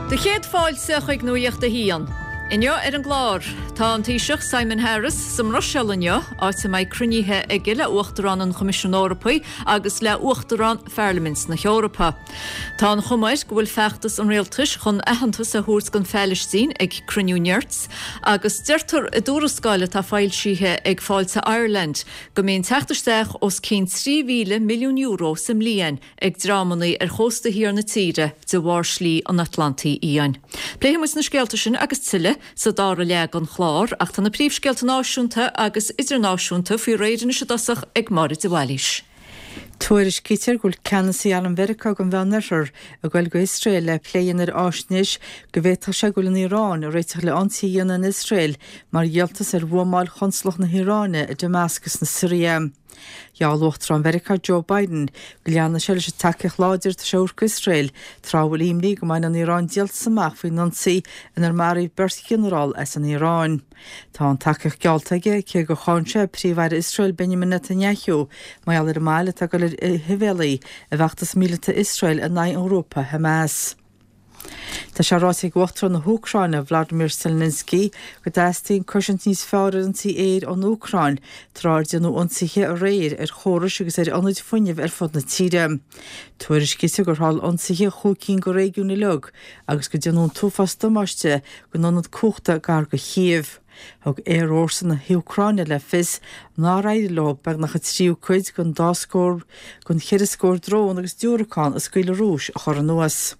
Do chéad fáilte chuig Nuacht a hAon. Inniu ar an gclár, tá an Taoiseach Simon Harris sa mBruiséil inniu, áit a mbeidh cruinnithe aige le Uachtarán an Choimisiúin Eorpaigh agus le Uachtarán Pharlaimint na hEorpa. Tá an chuma air go bhfuil feachtas an rialtais chun aitheantas a thabhairt don Phalaistín ag cruinniú nirt agus deirtear i dtuarascáil atá foilsithe ag Fáilte Ireland go mbíonn teacht isteach os cionn €3,000 milliún sa mbliain ag dreamanna ar chósta thiar na tíre de bharr Slí an Atlantaigh Fhiáin. Pléifidh muid na scéalta sin agus tuilleadh sa dara leath den chlár, ach tá na príomhscéalta náisiúnta agus idirnáisiúnta faoi réir anois i dtosach ag Máire de Bhailís. Tuairiscítear go bhfuil ceannasaí Arm Mheiriceá don Mheánoirthear ag goil go hIosrael le plé a dhéanamh ar fháisnéis go bhféadfadh sé go bhfuil an Iaráin ag réiteach le ionsaí a dhéanamh in Iosrael mar dhíoltas ar bhuamáil chonsalacht na hIaráine i Damascus na Siria. Gheall Uachtarán Mheiriceá Joe Biden go leanfaidh sé leis an tacaíocht láidir atá sé a thabhairt d'Iosrael tráth a bhfuil imní go mbainfidh an Iaráin díoltas amach faoin ionsaí inar maraíodh beirt ghinearál as an Iaráin. Tá an tacaíocht geallta aige cé gur cháin sé Príomh-Aire Iosrael Benjamin Netanyahu mar gheall ar an moill atá ag dul ar a haiféalaí i bhfeachtas míleata Iosrael in aghaidh an ghrúpa Hamas. Tá sé ráite ag Uachtarán na hÚcráine, Volodymyr Zelensky, go dteastaíonn cosaint níos fearr ar ionsaí aeir ón Úcráin, tráth ar déanadh ionsaithe aréir ar chórais agus ar ionaid fuinnimh ar fud na tíre. Tuairiscítear gur tharla ionsaithe i chúig cinn de réigiúin uilig agus go déanadh an t-uafás damáiste don ionad cumhachta gar do Chív. Thug Aerfhórsa na hÚcráine le fios nár éirigh leo beagnach an tríú cuid den dá scór den cheithre scór drón agus diúracán a scaoil an Rúis a chur anuas.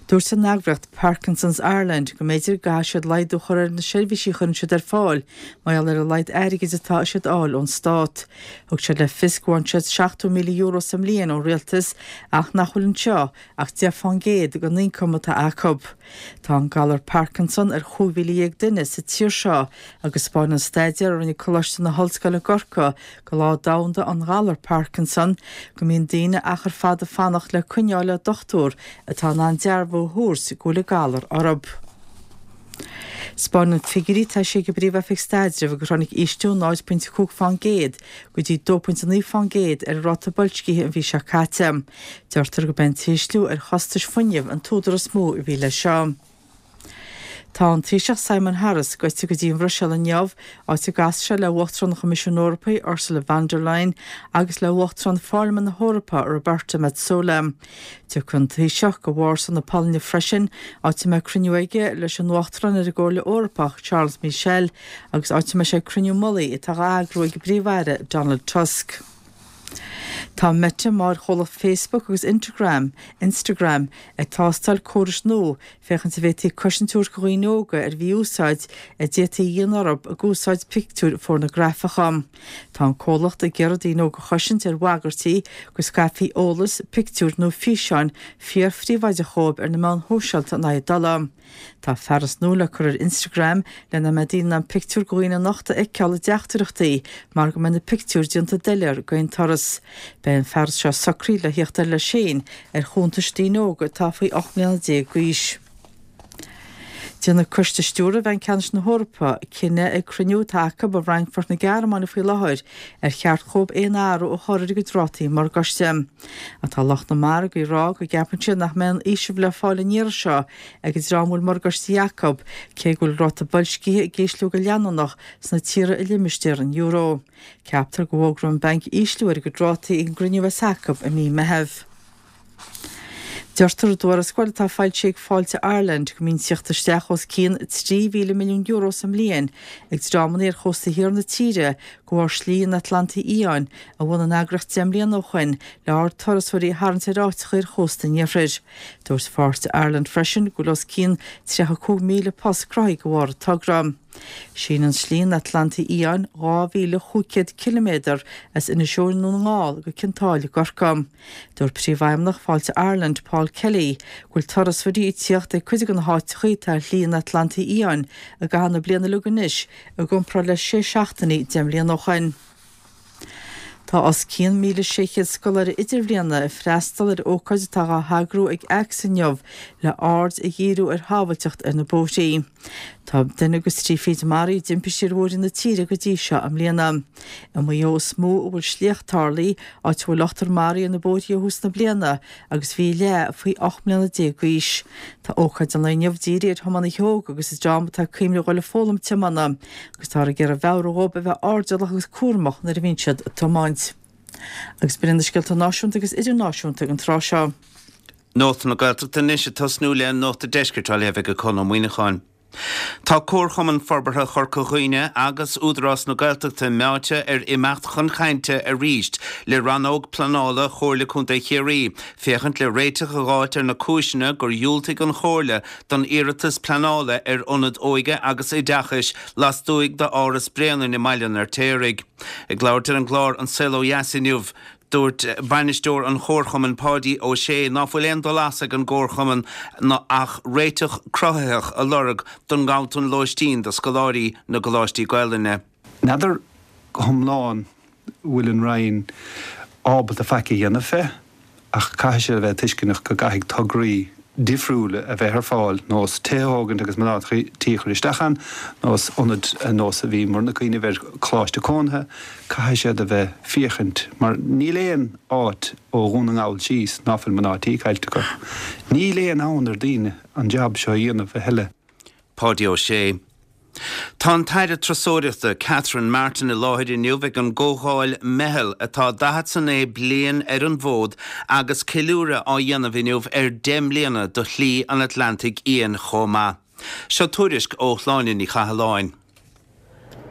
Dúirt an eagraíocht Parkinson's Ireland go mb'fhéidir go gcaithfidh siad laghdú a chur ar na seirbhísí a chuireann siad ar fáil mar gheall ar a laghad airgid atá siad a fháil ón stát. Thug siad le fios go bhfaigheann siad €70,000 sa mbliain ón rialtas ach nach bhfuil anseo ach 10% den ioncam atá acu. Tá an galar Parkinson ar 15,000 duine sa tír seo agus 'spáineann staidéar a rinne Coláiste na hOllscoile i gCorcaigh do Lá Domhanda an Ghalair Parkinson go mbíonn daoine achar fada ag fanacht le coinneáil le dochtúir atá in ann dearbhú a thabhairt go bhfuil an galar orthu. 'Spáineann figiúirí atá eisithe ag an bPríomh-Oifig Staidrimh gur tháinig ísliú 0.5 fán gcéad go dtí 2.9 fán gcéad ar an ráta boilscithe an mhí seo caite. Deirtear gurb é an t-ísliú ar chostais fuinnimh an t-údar is mó a bhí leis seo. Tá an Taoiseach Simon Harris gaibhte go dtí an Bhruiséil inniu, áit a gcasfaidh sé le Uachtarán an Choimisiúin Eorpaigh, Ursula von der Leyen, agus le Uachtarán Pharlaimint na hEorpa, Roberta Metsola. Tiocfaidh an Taoiseach go Vársá na Polainne freisin, áit a mbeidh cruinniú aige leis an Uachtarán ar an gComhairle Eorpach, Charles Michel, agus áit a mbeidh sé ag cruinniú mullaigh atá á eagrú ag an bPríomh-Aire Donald Tusk. Tá Meta, máthairchomhlacht Facebook agus Intergram, Instagram, ag tástáil córais nua féachaint an bhféadfaí cosaint a thabhairt do dhaoine óga ar mhí-úsáid a d'fhéadfaí a dhéanamh orthu ag úsáid pictiúir phornagrafacha. Tá an comhlacht ag iarraidh daoine óga a chosaint ar bhagairtí go scaipfí eolas, pictiúir nó físeáin fíorphríobháideach dhóibh ar na meáin shóisialta in aghaidh a dtola. Tá fearas nua le cur ar Instagram lena mbeidh daoine in ann pictiúir de dhaoine nochta a fheiceáil i dteachtaireachtaí mar go mbeidh na pictiúir déanta doiléir d'aon turas. Beidh an fearas seo socraithe le thíocht air leis féin ar chuntais daoine óga atá faoi 18 mbliana d'aois. Déanfaidh Coiste Stiúrtha Bhanc Ceannais na hEorpa cinneadh ag cruinniú atá acu i bhFrankfurt na Gearmáine faoi láthair ar cheart dhóibh aon athrú a chur ar a gcuid rátaí morgáiste. Ach tá lucht na margaí ag rá go gceapann siad nach mbeidh aon fhaoiseamh le fáil an iarraidh seo ag an dream a bhfuil morgáistí acu, cé go bhfuil ráta boilscithe ag ísliú go leanúnach sna tíortha i limistéar an euro. Ceaptar go bhfógróidh an banc ísliú ar a gcuid rátaí ag an gcruinniú a bheas acu i mí Meitheamh. Deirtear i dtuarascáil atá foilsithe ag Fáilte Ireland go mbíonn tíocht isteach os cionn €3,000 milliún sa mbliain ag dreamanna ar chósta thiar na tíre de bharr Shlí an Atlantaigh Fhiáin a bhunaigh an eagraíocht 10 mbliana ó shoin le aird turasóirí a tharraingt ar áiteacha ar chósta an iarthair. Dúirt Fáilte Ireland freisin go bhfuil os cionn 35,000 post cruthaithe de bharr an togra. Síneann Slí an Atlantaigh Fhiáin 2,500 ciliméadar as Inis Eoghain i nDún na nGall go Cionn tSáile i gCorcaigh. Dúirt Príomhfheidhmeannach Fáilte Ireland, Paul Kelly, go bhfuil turasóirí ag tíocht ag cuid de na háiteacha atá ar Shlí an Atlantaigh Fhiáin i gcaitheamh na bliana uilig anois i gcomparáid le sé seachtainí 10 mbliana ó shoin. Tá os cionn 1,600 scoláire idirbhliana ag freastal ar ócáid atá dhá heagrú ag ACTS inniu le aird a dhíriú ar shábhailteacht ar na bóithrí. Tá duine agus trí fichid maraithe i dtimpistí ar bhóithre na tíre go dtí seo i mbliana. I Maigh Eo is mó a bhfuil sléacht tarlaithe, áit a bhfuil ochtar maraithe ar na bóithrí ó thús na bliana agus bhí a leath faoi 18 mbliana d'aois. Tá ócáid an lae inniu dírithe ar thiománaithe óga agus an dream atá ag cuimhneamh a dhul ag foghlaim tiomána agus táthar ag iarraidh meabhrú dhóibh a bheith airdeallach agus cúramach nuair a bhíonn siad ag tiomáint. Agus b'in iad na scéalta náisiúnta agus idirnáisiúnta ag an tráth seo. Nuacht na Gaeltachta anois ag tosnú le Nuacht an Deiscirt á léamh ag Conn Ó Muíneacháin. Tá Comharchumann Forbartha Chorca Dhuibhne agus Údarás na Gaeltachta meáite ar imeacht chun cainte arís le Rannóg Pleanála Chomhairle Contae Chiarraí féachaint le réiteach a dh'fháilt ar na cúiseanna gur dhiúltaigh an Chomhairle don iarratas pleanála ar ionad óige agus oideachais lastuaidh d'Áras Bréanainn i mBaile an Fheirtéaraigh. Ag labhairt ar an gclár An Saol Ó Dheas inniu, Dúirt bainisteoir an Chomharchumainn Páidí Ó Sé ná fuil aon dul as ag an gComharchumann ach réiteach cruthaitheach a lorg don nganntan lóistín do scoláirí na gcoláistí Gaelainne. N'fheadar go hiomlán bhfuil an Roinn ábalta faic a dhéanamh fé ach caithfidh siad a bheith tuisceanach go gcaithfidh tograí difriúla a bheith ar fáil, nós tithe a thógaint agus mná tí a chur isteach ann, nós ionad nós a bhíomarna ag cuimhneamh ar choláiste cónaithe, caithfidh siad a bheith féachaint mar níl aon áit ó Dhún na nGall síos ná fuil mná tí caillte acu. Níl aon fhonn ar daoine an jab seo a dhéanamh a thuilleadh. Páidí Ó Sé. Tá an tAire Turasóireachta Catherine Martin i láthair inniu ag an gcomhdháil Meitheal atá 49 bliain ar an bhfód agus ceiliúradh á dhéanamh inniu ar 10 mbliana do Shlí an Atlantaigh Fhiáin chomh maith. Seo tuairisc ó Shláine Ní Chathalláin.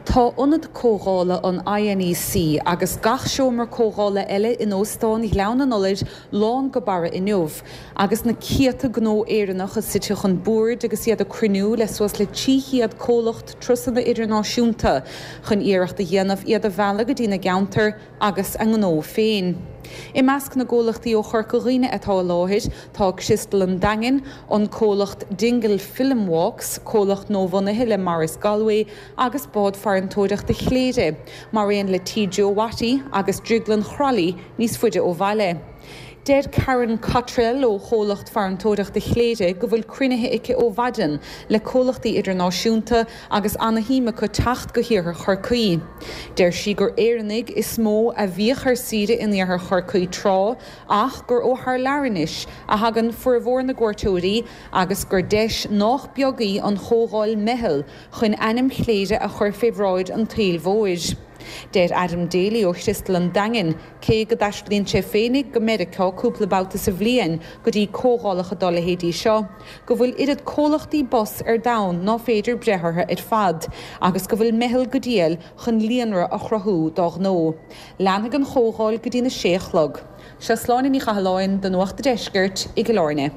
Tá ionad comhdhála an INEC agus gach seomra comhdhála eile in Óstán Ghleann an Iolair lán go barra inniu agus na céadta gnó Éireannach suite chun boird agus iad ag cruinniú le suas le 300 comhlacht turasanna idirnáisiúnta chun iarracht a dhéanamh iad a mhealladh go dtí na gceantar agus a ngnó féin. I measc na gcomhlachtaí ó Chorca Dhuibhne atá i láthair tá Criostal an Daingin, an comhlacht Dingle Film Walks, comhlacht nuabhunaithe le Maurice Galway agus Bád Farantóireachta Chléire, mar aon le Tí Joe Watty agus Drioglann Chroithlí níos faide ó bhaile. Deir Karen Cottrell ó chomhlacht farantóireachta Chléire go bhfuil cruinnithe aici ó mhaidin le comhlachtaí idirnáisiúnta agus ana-shuim acu teacht go hiarthar Chorcaí. Deir sí gur Éireannaigh is mó a bhíodh ar saoire in iarthar Chorcaí tráth ach gur ó thar lear anois a thagann formhór na gcuairteoirí agus gur deis nách beag í an chomhdháil Meitheal chun ainm Chléire a chur fé bhráid an tsaoil mhóir. Deir Adam Daly ó Chriostal an Daingin, cé go dtaistealaíonn sé féinig go Meiriceá cúpla babhta sa bhliain go dtí comhdhálacha dá leithéidí seo, go bhfuil oiread comhlachtaí bus ar domhan ná féidir breith orthu ar fad agus go bhfuil Meitheal go diail chun líonra a chruthú dá ghnó. Leanfaidh an chomhdháil go dtína sé a chlog. Seo Sláine Ní Chathalláin do Nuacht a' Deiscirt i gCill Airne.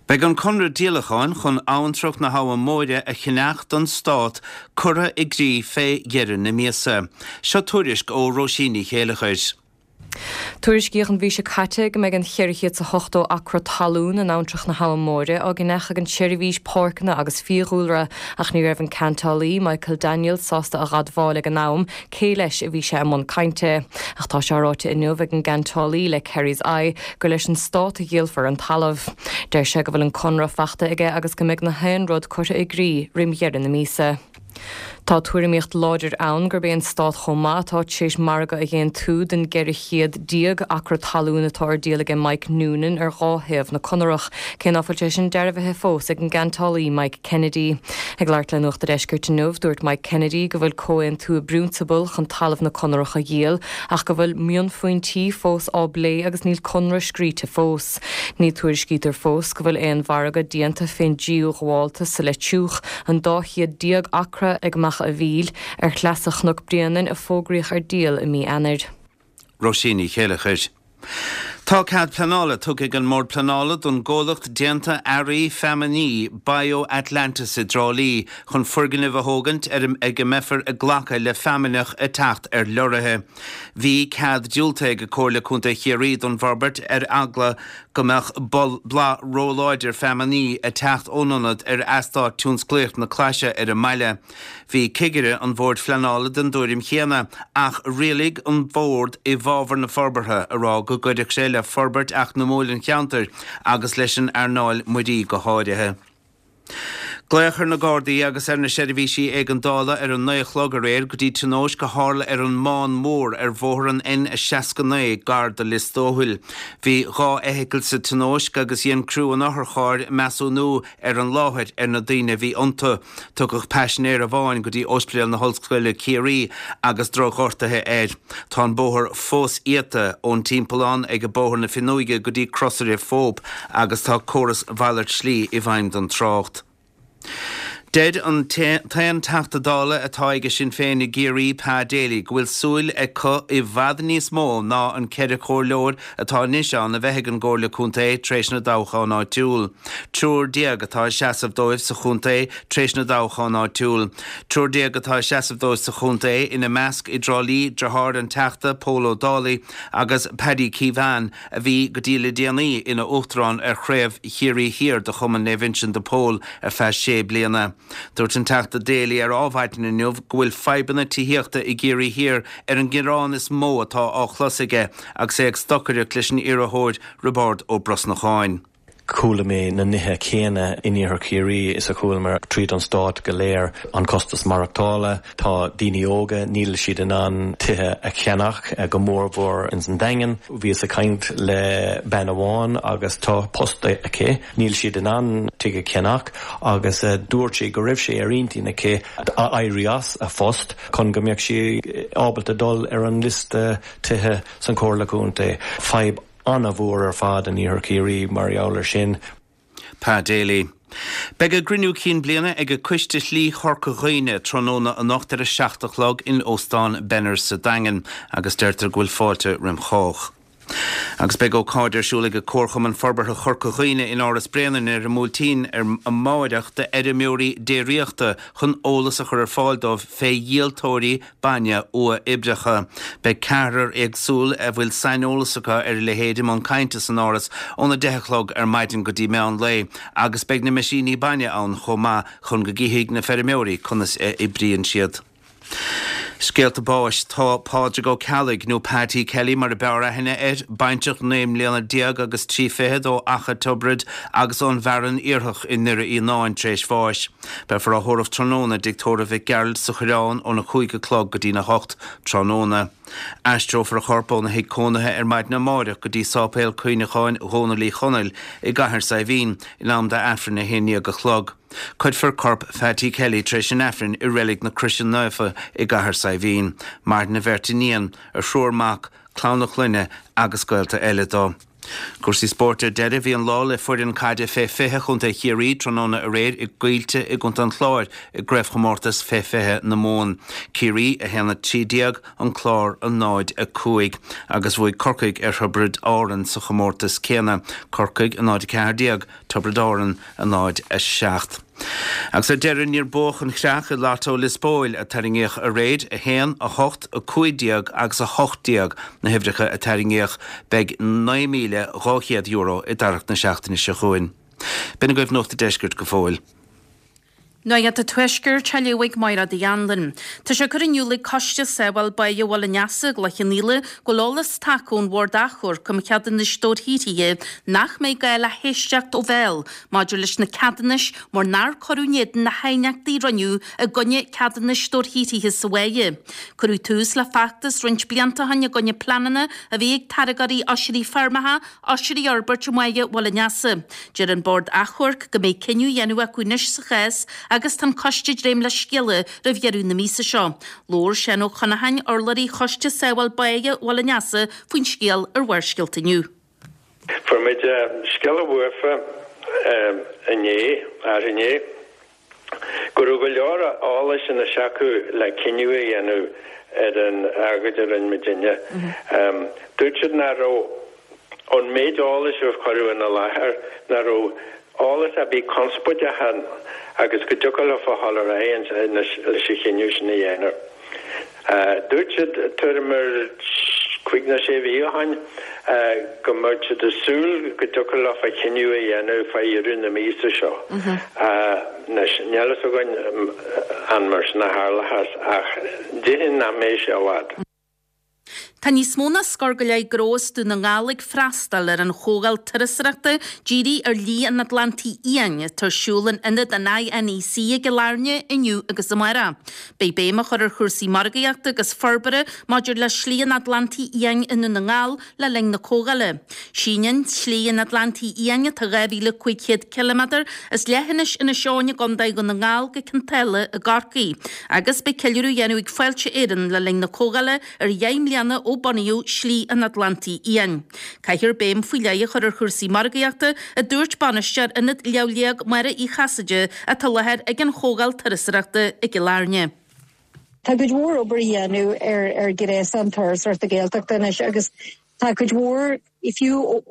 Beidh an conradh díolacháin chun Abhantrach na hAbha Móire a cheannach don Stát curtha i gcrích fé dheireadh na míosa. Seo tuairisc ó Róisín Ní Chéileachair. Tuairiscíodh an mhí seo caite go mbeidh an 480 acra talún in Abhantrach na hAbha Móire á gceannach ag an tSeirbhís Páirceanna agus Fiadhúlra ach ní raibh an ceantálaí, Michael Daniels, sásta a dh'admháil ag an am cé leis a bhí sé i mbun cainte. Ach tá sé ráite inniu ag an gceantálaí le Kerry's Eye gur leis an Stát a dhíolfar an talamh. Deir sé go bhfuil an conradh fachta aige agus go mbeidh na haon rud curtha i gcrích roim dheireadh na míosa. Tá tuairimíocht láidir ann gurb é an Stát chomh maith atá tar éis margadh a dh'aontú don 1400 acra talún atá ar díol aige Mike Noonan ar dhá thaobh na Conarach, cé ná fuil sé sin dearbhaithe fós ag an gceantálaí Mike Kennedy. Ag labhairt le Nuacht a' Deiscirt inniu, dúirt Mike Kennedy go bhfuil comhaontú i bprionsabal chun talamh na Conarach a dhíol ach go bhfuil mionphointí fós á bplé agus níl conradh scríte fós. Ní tuairiscítear fós go bhfuil aon mhargadh déanta fén dtríú ghabháltas sa Leitriúch, an 12 chéad acra ag Macha a' Mhíl, ar shleasa Chnoc Bréanainn a fógraíodh ar díol i mí Eanáir. Róisín Ní Chéileachair. Tá cead pleanála tugtha ag an mBord Pleanála don gcomhlacht déanta earraí feamainní Bio Atlantis i dTrá Lí chun foirgneamh a thógaint ar ag a mbeifear ag glacadh le feamainneach ag teacht ar leoraithe. Bhí cead diúltaithe ag Comhairle Contae Chiarraí don bhforbairt ar eagla go mbeadh boladh róláidir feamainní ag teacht ón ionad ar eastát tionsclaíoch na Claise ar an mbaile. Bhí cigire an Bhoird Phleanála den dtuairim chéanna, ach rialaigh an Bord i bhfabhar na forbartha, a rá go gcuirfeadh sé le forbairt eacnamúil an cheantair agus leis an earnáil muirí go háirithe. Glaodh ar na Gardaí agus ar na seirbhísí éigeandála ar a 9 a chlog aréir go dtí tionóisc a tharla ar an mBán Mór ar bhóthar an N69 gar do Lios Tuathail. Bhí 2 fheithicil sa tionóisc agus dhein criú an otharchairr measúnú ar an láthair ar na daoine a bhí iontu. Tugadh paisinéir amháin go dtí Ospidéal na hOllscoile Ciarraí agus drochghortuithe air. Tá an bóthar fós iata ón timpeallán ag Bóthar na Fionnóige go dtí Crosaire Phope agus tá córas mhalairt slí i bhfeidhm don trácht. Deir an t-aon Teachta Dála atá aige Sinn Féin i gCiarraí, Pa Daly, go bhfuil súil acu i bhfad níos mó ná an 4 chomhairleoir atá anois ann a bheith ag an gComhairle Contae tar éis na dtoghchán áitiúil. Triúr déag atá ag seasamh dóibh sa chontae tar éis na dtoghchán áitiúil. Triúr déag atá ag seasamh dóibh sa chontae, ina measc i dTrá Lí, deartháir an Teachta, Pól Ó Dálaigh, agus Paddy Keohane, a bhí go dtí le déanaí ina uachtarán ar chraobh Chiarraí Thiar de Chumann Naomh Uinseann de Pól ar feadh sé bliana. Dúirt an Teachta Daly ar Adhmhaidin inniu go bhfuil fadhbanna tithíochta i gCiarraí Thiar ar an ngearán is mó atá á chlos aige agus é ag stocaireacht leis an iarrthóir Roibeárd Ó Brosnacháin. Chuala mé na nithe céanna in Iarthar Chiarraí is a chualamar tríd an stát go léir, an costas maireachtála, tá daoine óga, níl siad in ann tithe a cheannach, go mórmhór ins an Daingean. Bhíos ag caint le bean amháin agus tá post aici, níl siad in ann tigh a cheannach agus dúirt sí go raibh sé ar intinn aici éirí as a phost chun go mbeadh sí ábalta dul ar an liosta tithe san Chomhairle Contae. Fadhb an-mhór ar fad in Iarthar Chiarraí mar gheall air sin. Pa Daly. Beidh a gcruinniú cinn bliana ag Coiste Shlí Chorca Dhuibhne tráthnóna anocht ar a 7 a chlog in Óstán Benners sa Daingean agus deirtear go bhfuil fáilte roim chách. Agus beidh ócáid ar siúl ag Comharchumann Forbartha Chorca Dhuibhne in Áras Bréanainn ar an mBuailtín ar amáireach d'fheirmeoirí déiríochta chun eolas a chur ar fáil dóibh fé dhíoltóirí bainne uathoibríocha. Beidh ceathrar éagsúil a bhfuil saineolas acu ar a leithéid i mbun cainte san Áras óna 10 a chlog ar maidin go dtí meán lae agus beidh na meaisíní bainne ann chomh maith chun go gcífidh na feirmeoirí conas a oibríonn siad. Scéalta báis Tá Pádraig Ó Ceallaigh, nó Patty Kelly mar a b'fhearr aithne air, baintreach 19 mbliana agus 3 fichead ó Achadh Tiobraid agus ón bhFearann Iarthach i nDoire Fhíonáin tar éis bháis. Beifear á thórramh tráthnóna i dTigh Tórraimh Mhic Gearailt sa Choireán óna 5 a chlog go dtína 8 tráthnóna. Aistreofar a chorp óna thigh cónaithe ar maidin amáireach go dtí Sáipéal Cuimhneacháin Dhónaill Uí Chonaill i gCathair Saidhbhín in am d'Aifreann 11 a chlog. Cuirfear corp Phatty Kelly tar éis an Aifrinn i Reilig na Croise Naofa i gCathair Saidhbhín. Maireann a bheirt iníon, a thriúr mac, clann a chlainne agus gaolta eile dó. Cúrsaí spóirt ar deireadh, bhí an lá le foireann caide fé 20 Chontae Chiarraí tráthnóna aréir i gCoillte i gContae an Chláir i gCraobhchomórtas fé 20 na Mumhan. Ciarraí 1, 13, An Clár 0, 5 agus bhuaigh Corcaigh ar Thiobraid Árann sa chomórtas céanna, Corcaigh 0, 14, Tiobraid Árann 0, 7. Agus ar deireadh, níor buadh an chreach i Lotto Lios Póil a tarraingíodh aréir, 1, 8, 15 agus 18 na huimhreacha a tarraingíodh. Beidh €9,200 i dtarrac na seachtaine seo chugainn. B'in agaibh Nuacht an Deiscirt go fóill. Nuacht an Tuaiscirt á léamh ag Máire Uí Anluain. Tá sé curtha in iúl ag Coiste Sábháil Báighe Bhaile an Easa i gCloich Cheann Fhaola go bhfuil eolas tagtha ón Bhord Achomhairc um Cheadúnais Dobharshaothraithe nach mbeidh gá le héisteacht ó bhéal maidir leis na ceadúnais mar nár cuireadh in éadan na haighneachtaí a rinneadh i gcoinne ceadúnais dobharshaothraithe sa bháighe. Cuireadh tús le feachtas roinnt blianta ó shin i gcoinne pleananna a bhí ag táirgeoirí oisrí feirmeacha oisrí a fhorbairt i mbáighe Bhaile an Easa. Deir an Bord Achomhairc go mbeidh cinneadh á dhéanamh acu anois sa chás agus tá an coiste ag dréim le scéala roimh dheireadh na míosa seo. Labhair Seán Ó Conacháin, urlabhraí Choiste Sábháil Báighe Bhaile an Easa faoin scéal ar Bharrscéalta inniu. Fuair muid scéala uafa inné, arú-inné, go raibh go leor eolais anois acu le cinneadh a dhéanamh ar an agóid a rinne muidinne. Dúirt siad nach raibh. Ón méid eolais a cuireadh ina láthair, nach raibh eolas ar bith conspóideach ann agus go dtiocfadh leofa dhul ar aghaidh leis an chinneadh sin a dhéanamh. Dúirt siad tuairim ar chúig nó sé mhí ó shin go mbeadh siad ag súil go dtiocfadh leofa cinneadh a dhéanamh fá dheireadh na míosa seo. Anois, níl a fhios againn an mar sin a tharlóchas ach déarfainn nach mbeidh sé i bhfad. Tá níos mó ná scór go leith gnó as Dún na nGall ag freastal ar an chomhdháil turasóireachta dírithe ar Shlí an Atlantaigh Fhiáin atá ar siúl in Ionad an INEC i gCill Airne inniu agus amárach. Beidh béim á chur ar chúrsaí margaíochta agus forbartha maidir le Slí an Atlantaigh Fhiáin i nDún na nGall le linn na comhdhála. Síneann Slí an Atlantaigh Fhiáin, atá 2,500 ciliméadar, as leithinis Inis Eoghain i gContae Dhún na nGall go Cionn tSáile i gCorcaigh, agus beidh ceiliúradh á dhéanamh ag Fáilte Éireann le linn na comhdhála ar dheich mbliana ó bunaíodh Slí an Atlantaigh Fhiáin. Caithfear béim faoi leith a chur ar chúrsaí margaíochta, a dúirt bainisteoir Ionad Léamh Liag Máire Uí Chasaide atá i láthair ag an chomhdháil turasóireachta i gCill Airne. Tá cuid mhór obair a dhéanamh ar ar ghréasán turasóireachta Gaeltachta anois agus tá cuid mhór, fiú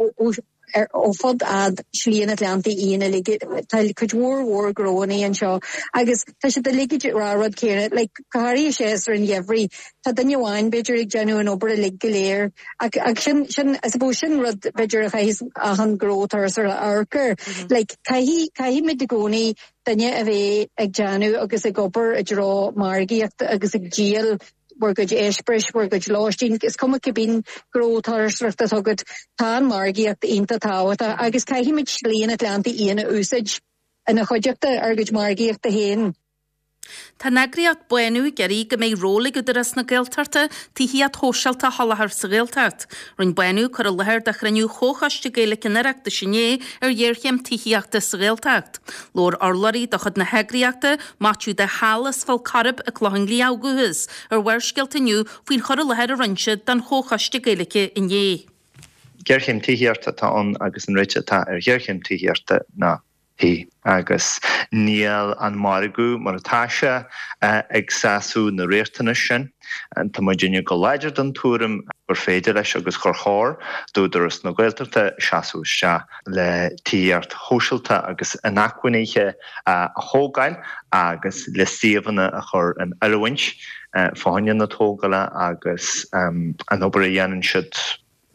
ó fud fhad Slí an Atlantaigh Fhiáin uilig, tá cuid mhór mhór gnóanna anseo agus tá siad uilig ag rá rud céanna, like go háirithe séasúr an gheimhridh, tá duine amháin b'fhéidir ag déanamh an obair uilig go léir ach ach sin sin I suppose sin rud b'fhéidir a chaithfeas achan gnó turasóireachta amharc air, like caithfidh caithfimid i gcónaí duine a bheith ag déanamh agus ag obair i dtreo margaíochta agus ag díol bhur gcuid eispéiris, bhur gcuid lóistín, is cuma cibé gnó turasóireachta atá agat, tá an mhargaíocht iontach tábhachtach agus caithfimid Slí an Atlantaigh Fhiáin a úsáid ina chuideachta ár gcuid margaíochta féin. Tá an eagraíocht Bánú ag iarraidh go mbeidh ról ag Údarás na Gaeltachta tithíocht shóisialta a sholáthar sa Ghaeltacht. Rinne Bánú cur i láthair do chruinniú Chomhchoiste Gaeilge an Oireachtais inné ar ghéarchéim tithíochta sa Ghaeltacht. Labhair urlabhraí de chuid na heagraíochta, Maitiú de hAll as Fál Carrach i gClochán Liath ó dhúchas, ar Bharrscéalta inniu faoin chur i láthair a rinne siad don Chomhchoiste Gaeilge inné. Géarchéim tithíochta atá ann agus an réiteach atá ar ghéarchéim tithíochta ná tithe agus níl an margadh mar atá sé ag sásamh na riachtanais sin. Tá muidinne go láidir den tuairim gur féidir leis agus gur chóir d'Údarás na Gaeltachta seasamh isteach le tithíocht shóisialta agus inacmhainne a thógáil agus le suíomhanna a chur in oiriúint fá choinne na tógála agus an obair a dhéanann siad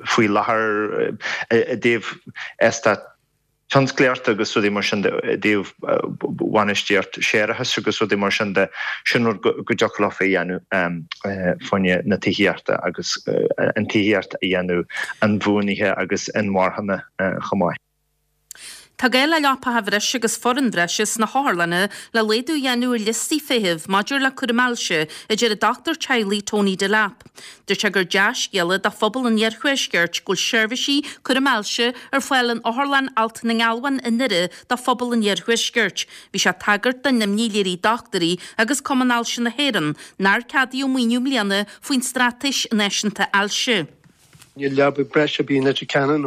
faoi láthair i dtaobh eastát tionsclaíochta agus rudaí mar sin de, i dtaobh bhainistíocht séarachais agus rudaí mar sin de, sin rud go dtiocfadh leofa a dhéanamh fá choinne na tithíochta agus an tithíocht a dhéanamh inbhuanaithe agus inmharthana chomh maith. Tá gá le leapacha bhreise agus foireann bhreise sna hotharlanna le laghdú a dhéanamh ar liostaí feithimh maidir le cúram ailse, a deir an dochtúir teaghlaigh Tony Delap. Dúirt sé gur dea-scéala do phobal an iarthuaiscirt go bhfuil seirbhísí cúraim ailse ar fáil in Otharlann Alt na nGealbhan i nDoire do phobal an iarthuaiscirt. Bhí sé ag tagairt don imní a léirigh dochtúirí agus Cumann Ailse na hÉireann nár ceadaíodh maoiniú i mbliana faoin Straitéis Náisiúnta Ailse. Níl leaba breise ar bith in Leitir Ceanainn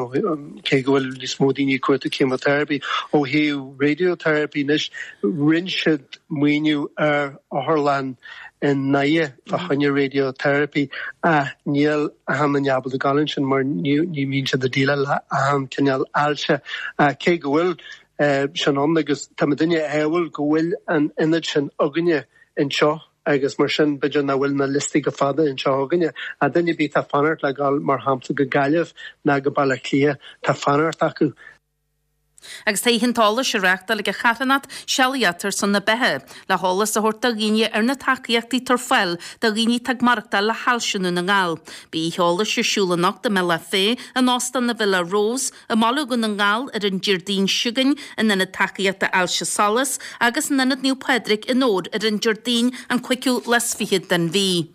cé go bhfuil níos mó daoine ag cuartú chemotherapi. Ó thaobh radiotherapy anois, rinne siad maoiniú ar otharlann i nDoire fá choinne radiotherapy ach níl achan duine ábalta gabháil ansin mar ní bhíonn siad ag déileáil le achan cineál ailse ach cé go bhfuil sin ann agus tá muidinne ádhúil go bhfuil an ionad sin againne anseo agus mar sin b'fhéidir nach bhfuil na liostaí chomh fada anseo againne ach duine ar bith atá ag fanacht le gabháil mar shampla go Gaillimh ná go Baile Átha Cliath tá fanacht acu. Agus tá oíche an t-eolais á reáchtáil ag an charthanacht Sealaíocht ar son na Beatha, le heolas a thabhairt do dhaoine ar na tacaíochtaí atá ar fáil do dhaoine atá ag maireachtáil le hailse i nDún na nGall. Beidh oíche eolais ar siúl anocht i mBealach Féich, in Óstán na Villa Rose, i mBaile Dhún na nGall ar an Déardaoin seo chugainn, in Ionad Tacaíochta Ailse Solas agus in Ionad Naomh Pádraig i nDobhar ar an Déardaoin an cúigiú lá is fichead den mhí.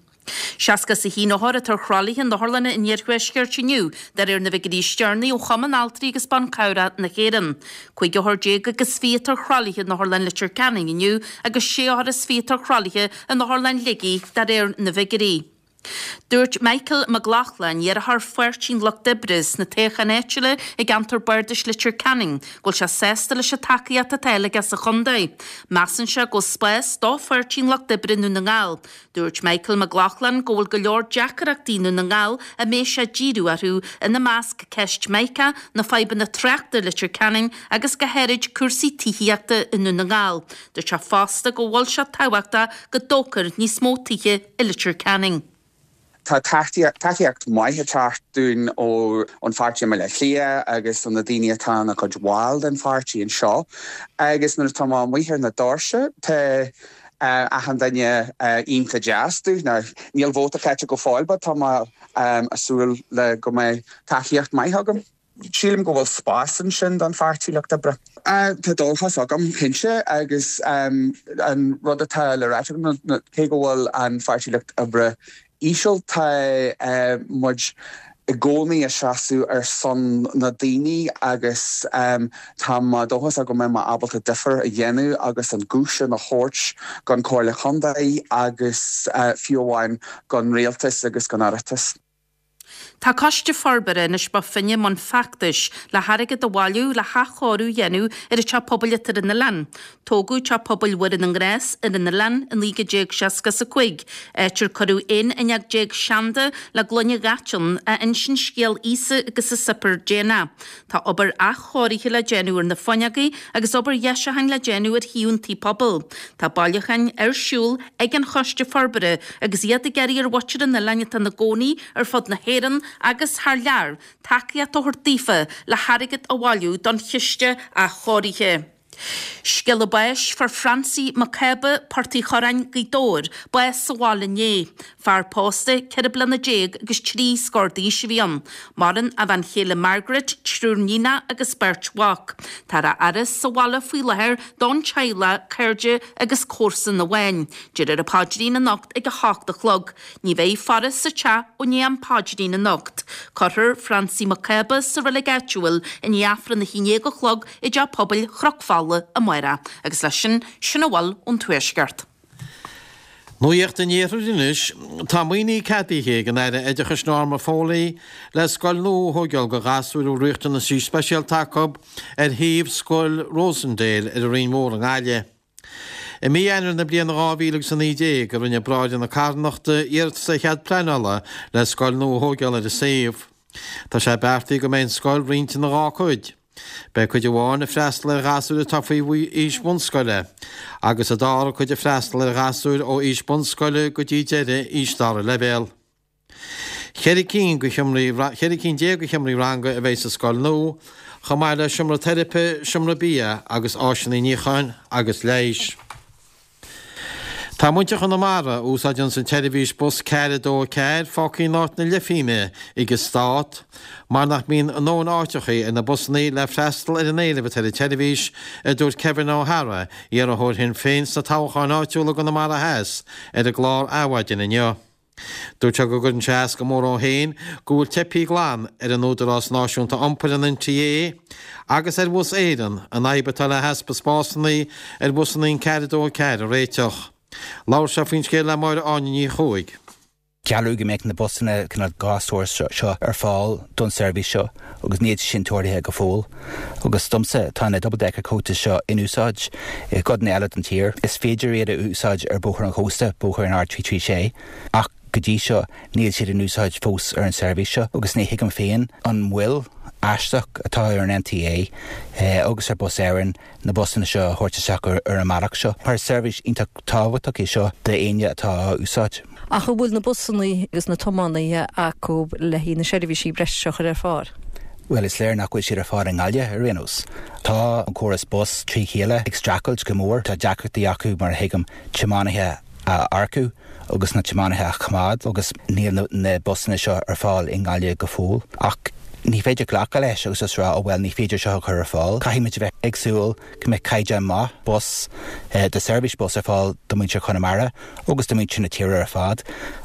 61 othar atá ar thralaithe in otharlanna an iarthuaiscirt inniu, de réir na bhfigiúirí is deireanaí ó Chumann Altraí agus Ban Cabhrach na hÉireann. 15 othar agus 20 atá ar thralaithe in Otharlann Leitir Ceanainn inniu agus 6 othar is 20 atá ar thralaithe in Otharlann Shligigh, de réir na bhfigiúirí. Dúirt Michael Mac Lochlainn, iarrthóir Pháirtí an Lucht Oibre sna toghcháin áitiúla i gceantar Bardais Leitir Ceanainn, go bhfuil sé sásta leis an tacaíocht atá aige sa chontae. Measann sé go bhfuil spás do Pháirtí an Lucht Oibre i nDún na nGall. Dúirt Michael Mac Lochlainn go bhfuil go leor deacaireachtaí i nDún na nGall a mbeidh sé ag díriú orthu, ina measc ceist Mica, na fadhbanna tráchta i Leitir Ceanainn agus go háirid cúrsaí tithíochta i nDún na nGall. Dúirt sé fosta go bhfuil sé tábhachtach go dtógfar níos mó tithe i Leitir Ceanainn. Tá tacaíocht maith ag teacht dúinn ón pháirtí i mBaile Átha Cliath agus ó na daoine atá ina gcuid bhall den pháirtí anseo agus nuair atá mé amuigh ar na doirse tá achan duine iontach deas dúinn. Níl vóta caite go fóill but tá mé ag súil le go mbeidh tacaíocht maith agam. Sílim go bhfuil spás ansin don Pháirtí Lucht Oibre. Tá dóchas agam, cinnte, agus an rud atá le ráit agam ná cé go bhfuil an Pháirtí Lucht Oibre íseal, tá muid i gcónaí ag seasamh ar son na daoine agus tá mé dóchasach go mbeidh mé ábalta difear a dhéanamh agus an guth sin a thabhairt don Chomhairle Chontae agus fiú amháin don Rialtas agus don Oireachtas. Tá Coiste Forbartha Inis Bó Finne i mbun feachtais le hairgead a bhailiú le hathchóiriú a dhéanamh ar an teach pobail atá ar an oileán. Tógadh Teach Pobail Mhuire na nGrást ar an oileán i 1965, áit ar cuireadh 11 fhuinneog seanda le gloine dhaite ann a insíonn scéal Íosa agus a Suipéar Déanach. Tá obair athchóirithe le déanamh ar na fuinneoga agus obair dheisiúcháin le déanamh ar thaobh an tí pobail. Tá bailiúcháin ar siúl ag an Choiste Forbartha agus iad ag iarraidh ar mhuintir an oileáin atá ina gcónaí ar fud na hÉireann agus thar lear tacaíocht a thabhairt daofa le hairgead a bhailiú don chiste athchóirithe. Scéala báis Fuair Francie Mac Cába, Port Uí Chorráin, Gaoth Dobhair, bás sa bhaile inné. Fear pósta 14 bliana agus 3 scór d'aois a bhí ann. Maireann a bhean chéile Margaret, triúr níonach agus beirt mhac. Táthar á fhaire sa bhaile faoi láthair don teaghlach, cairde agus comharsan amháin. Déarfar an paidrín anocht ag 8 a chlog. Ní bheidh faire sa teach ó ndiaidh an phaidrín anocht. Cuirfear Francie Mac Cába sa reilig áitiúil i ndiaidh Aifreann 11 a chlog i dTeach Pobail Chnoc Fola amárach. Agus leis sin, sin a bhfuil ón Tuaisceart. Nuacht an Iarthair anois. Tá maoiniú ceadaithe ag an Aire Oideachais Norma Foley le scoil nua a thóigeáil do ghasúir a bhfuil riachtanaisí speisialta acu ar shuíomh Scoil Rosendale ar an Rinn Mhór i nGaillimh. I mí Eanáir na bliana 2019 a rinne Bráithre na Carthanachta iarratas ar chead pleanála le scoil nua a thóigeáil ar an suíomh. Tá sé beartaithe go mbeidh an scoil roinnte ina dhá cuid. Beidh cuid amháin ag freastal ar ghasúir atá faoi aois bhunscoile agus an dara cuid ag freastal ar ghasúir ó aois bunscoile go dtí deireadh aois dara leibhéal. 14 cinn de sheomraí 14 cinn de sheomraí ranga a bheidh sa scoil nua, chomh maith le seomra teiripe, seomra bia agus áiseanna níocháin agus leighis. Tá muintir Chonamara a úsáideanns an tseirbhís bus 424 fágtha in áit na leithphingne ag an Stát mar nach mbíonn a ndóthain áiteachaí ar na busannaí le freastal ar an éileamh atá ar an tseirbhís, a dúirt Kevin O'Hara, iarrthóir Shinn Féin sna toghcháin áitiúla i gConamara Theas, ar an gclár Adhmhaidin inniu. Dúirt sé go gcuireann sé as go mór dó féin go bhfuil teipthe glan ar an Údarás Náisiúnta Iompair, an NTA, agus ar Bhus Éireann an fhadhb atá le heaspa spásanna ar bhusanna an 424 a réiteach. Labhair sé faoin scéal le Máire Áine Ní Chuaig. Gealladh go mbeadh na busanna cineál dhá stór seo ar fáil don seirbhís seo agus níl sé sin tarlaithe go fóill. Agus domsa, tá na double decker coaches seo in úsáid i gcodanna eile den tír. Is féidir iad a úsáid ar Bhóthar an Chósta, Bóthar an R336, ach go dtí seo níl siad in úsáid fós ar an seirbhís seo agus ní thuigim féin an mhoill aisteach atá ar an NTA agus ar Bus Éireann na busanna seo a thabhairt isteach ar an mbealach seo mar is seirbhís iontach tábhachtach é seo d'éinne atá á úsáid. Ach an bhfuil na busanna agus na tiománaithe acu le haghaidh na seirbhísí breise seo a chur ar fáil? Bhuel, is léir nach bhfuil siad ar fáil i nGaillimh ar aon nós. Tá an córas bus trí chéile ag streachailt go mór. Tá deacrachtaí acu, mar a thuigim, tiománaithe a earcú agus na tiománaithe a choimeád agus níl na busanna seo ar fáil i nGaillimh go fóill. Ach ní féidir glacadh leis agus just rá, oh well, ní féidir seo a chur ar fáil. Caithfidh muid a bheith ag súil go mbeidh caighdeán maith bus, de seirbhís bus ar fáil do mhuintir Chonamara agus do mhuintir na tíre ar fad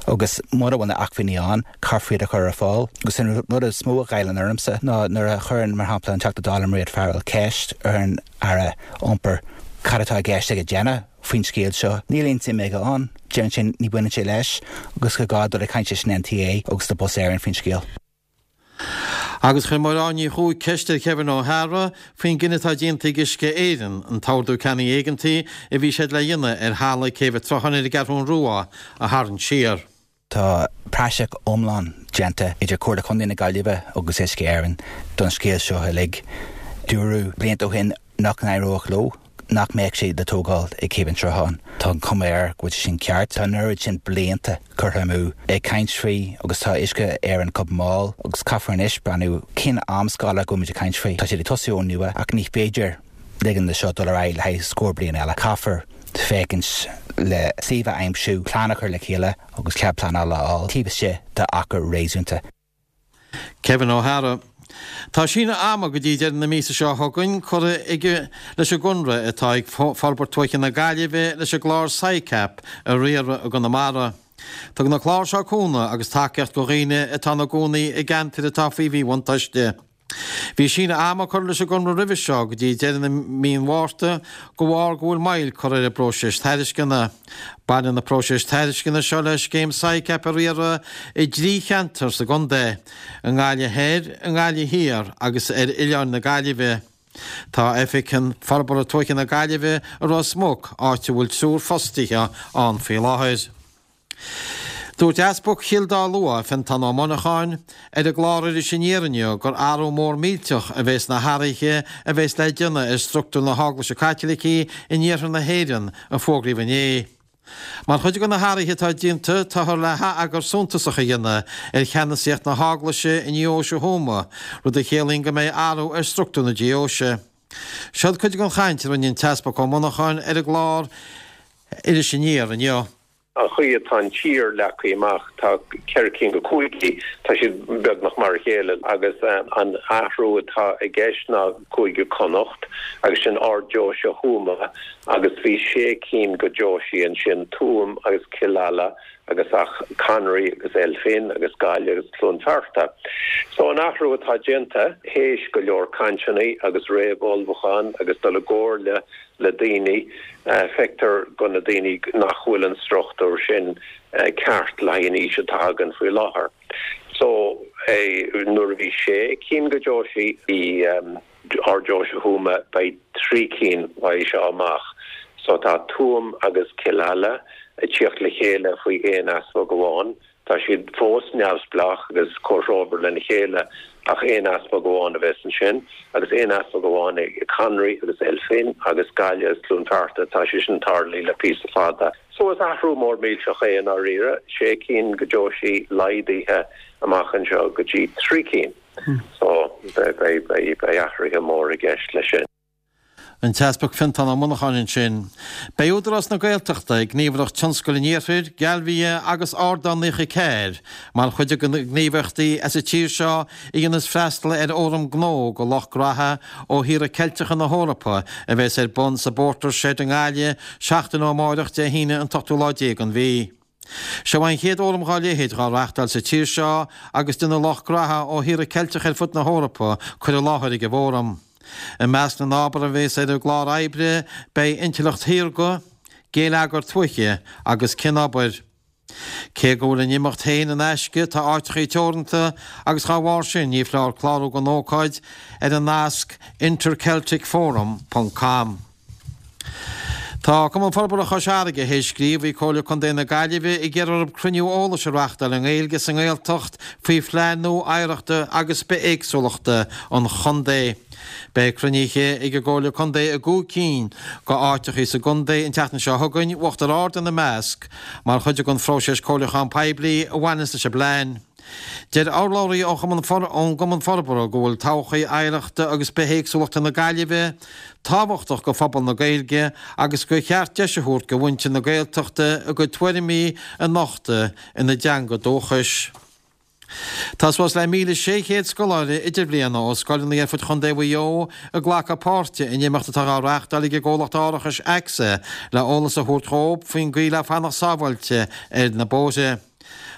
agus mura bhfuil na acmhainní ann, caithfear iad a chur ar fáil. Agus an rud is mó a ghoilleann ormsa ná nuair a chuireann, mar shampla, an Teachta Dála Mairéad Farrell ceist ar an Aire Iompair cad atá i gceist aige déanamh. faoin scéal seo. Níl aon suim aige ann. Deireann sé ní bhaineann sé leis agus gur gá dul ag caint leis an NTA agus le Bus Éireann faoin scéal. Agus chuir Máire Ní Chuaig ceist ar Kevin Ó hEadhra faoin gcinneadh atá déanta ag Uisce Éireann an t-ordú ceannaigh éigeantaigh a bhí siad le dhéanamh ar thalamh Céibh an tSrutháin ar an gCeathrún Rua a tharraingt siar. Tá praiseach iomlán déanta idir Comhairle Contae na Gaillimhe agus Uisce Éireann don scéal seo uilig. Dúradh blianta ó shin nach n-éireodh leo, nach mbeadh sé le tógáil ag Céibh an tSrutháin. Tá an chuma air go bhfuil sé sin ceart. Tá an oiread sin blianta curtha amú ag caint faoi agus tá Uisce Éireann chomh mall agus caithfear anois breathnú cén amscála go bhfuil muid ag caint faoi. Tá siad ag tosú ón nua ach ní féidir ligean do seo dul ar aghaidh le haghaidh scór bliain eile. Caithfear féachaint le suíomh a aimsiú, plean a chur le chéile agus cead pleanála a fháil taobh istigh d'achar réasúnta. Kevin Ó hEadhra. Tá síneadh ama go dtí deireadh na míosa seo chugainn curtha leis an gconradh atá ag Forbairt Tuaithe na Gaillimhe leis an gclár SICAP a riaradh i gConamara. Tugann an clár seo cúnamh agus tacaíocht do dhaoine atá ina gcónaí i gceantair atá faoi mhíbhuntáiste. Bhí síneadh ama curtha leis an gconradh roimhe seo go dtí deireadh na mí an Mhárta de bharr go bhfuil moill curtha ar an bpróiseas tairisceana. Baineann na próisis tairisceana seo le scéim SICAP a riaradh i dtrí cheantar sa gcontae, i nGaillimh Thoir, i nGaillimh Thiar agus ar Oileáin na Gaillimhe. Tá Oifig Forbartha Tuaithe na Gaillimhe i Ros Muc, áit a bhfuil triúr fostaithe ann faoi láthair. Dúirt Easpag Chill Dá Lua, Fiontán Ó Monacháin, ar an gclár Iris Aniar inniu gur athrú mór millteach a bheas sna hathruithe a bheas le déanamh ar struchtúr na hEaglaise Caitlicí in iarthar na hÉireann a fógraíodh inné. Mar chuid de na hathruithe atá déanta, táthar le hatheagar suntasach a dhéanamh ar cheannasaíocht na hEaglaise i nDeoise Thuama, rud a chiallaíonn go mbeidh athrú ar struchtúr na deoise. Seod cuid den chaint a rinne an tEaspag Ó Monacháin ar an gclár Iris Aniar inniu. An chaoi atá an tír leagtha amach, tá ceithre cinn de chúigí, tá siad beagnach mar a chéile agus an athrú atá i gceist ná Cúige Connacht agus sin Ard-Deoise Thuama agus bhí sé cinn de deoisí ansin, Tuaim agus Cill Ala agus Achonry agus Elphin agus Gaillimh agus Cluain Fearta. So an athrú atá déanta, théis go leor cainteanna agus réamh-ullmhúchán agus dul i gcomhairle le daoine, feictear go na daoine nach bhfuil an struchtúr sin ceart le haghaidh an aois atá againn faoi láthair. So, nuair a bhí sé cinn de deoisí i Ard-Deoise Thuama, beidh 3 cinn uaidh seo amach. So tá Tuaim agus Cill Ala ag tíocht le chéile faoi aon easpag amháin. Tá siad fós neamhspleách agus comhthreomhar lena chéile ach aon easpag amháin a bheas ansin agus aon easpag amháin ag Conary agus Elphin agus Gaillimh agus Cluain Fearta. Tá sé sin tarlaithe le píosa fada. So is athrú mór millteach é i ndáiríre, sé cinn de deoisí laghdaithe amach anseo go dtí 3 cinn. So beidh athruithe mór i gceist leis sin. An tEaspag Fiontán Ó Monacháin ansin. Beidh Údarás na Gaeltachta, Gníomhaireacht Tionscail an Iarthair, Galvia agus Ardán 94 mar chuid de na gníomhaireachtaí as an tír seo a dhéanas freastal ar Fhóram Gnó go lucht graithe ó thíortha Ceilteacha na hEorpa a bheas ar bun sa bPorter's Shed i nGaillimh seachtain ó amáireach Dé hAoine an t-ochtú lá déag den mhí. Seo an chéad fhóram dhá leithéid dhá reachtáil sa tír seo agus déanfaidh lucht graithe ó thíortha Ceilteacha ar fud na hEorpa cur i láthair ag an bhfóram. I measc na n-ábhar a bheas ar an gclár oibre beidh intleacht shaorga, géilleagar tuaithe agus cianobair. Cé go bhfuil an imeacht féin in aisce tá áiteachaí teoranta agus dhá bharr sin ní foláir clárú don ócáid ar an nasc intercelticforum ponc com. Tá Cumann Forbartha Chois Fharraige théis scríobh chuig Comhairle Contae na Gaillimhe ag iarraidh orthu cruinniú eolais a reachtáil i nGaeilge sa nGaeltacht faoi phlean nua oidhreachta agus bithéagsúlachta an chontae. Beidh cruinnithe ag an gComhairle Contae i gcúig cinn de áiteachaí sa gcontae an tseachtain seo chugainn, Uachtar Ard ina measc, mar chuid den phróiseas comhairliúcháin poiblí a bhaineanns leis an bplean. Deir urlabhraí ón gCumann Forbartha go bhfuil todhchaí oidhreachta agus bithéagsúlachta na Gaillimhe tábhachtach go phobal na Gaeilge agus gur cheart deis a thabhairt go mhuintir na Gaeltachta a gcuid tuairimí a nochtadh ina dteanga dúchais. Tá suas le 1,600 scoláire idirbhliana ó scoileanna ar fud Chontae Mhaigh Eo ag glacadh páirte in imeacht atá á reáchtáil ag an gcomhlacht árachais AXA le eolas a thabhairt dhóibh faoin gcaoi le fanacht sábháilte ar na bóithre.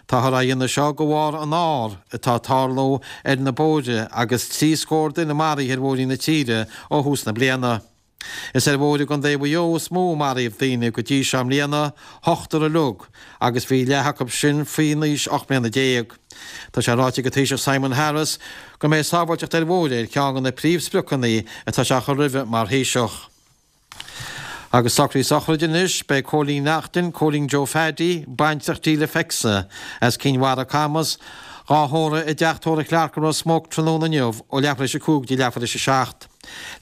Táthar á dhéanamh seo de bharr an ár atá ag tarlú ar na bóithre agus 3 scór duine maraithe ar bhóithrí na tíre ó thús na bliana. Is ar bhóithre i gContae Mhaigh Eo is mó a maraíodh daoine go dtí seo i mbliana, ochtar uilig, agus bhí leath acu sin faoin aois 18 mbliana. Tá sé ráite ag an Taoiseach Simon Harris go mbeidh sábháilteacht ar bhóithre ar cheann de na príomhspriocanna atá sé a chur roimhe mar Thaoiseach. Agus socruithe sochraide anois, beidh Cóilín Neachtain, Cóilín Joe Phaddy, baintreach Delia Fecsa, as Cinn Mhara, Camas, dhá thórramh i dTeach Tórraimh Clarke i Ros Muc tráthnóna inniu ó leathuair théis a 5 go dtí leathuair théis a 7.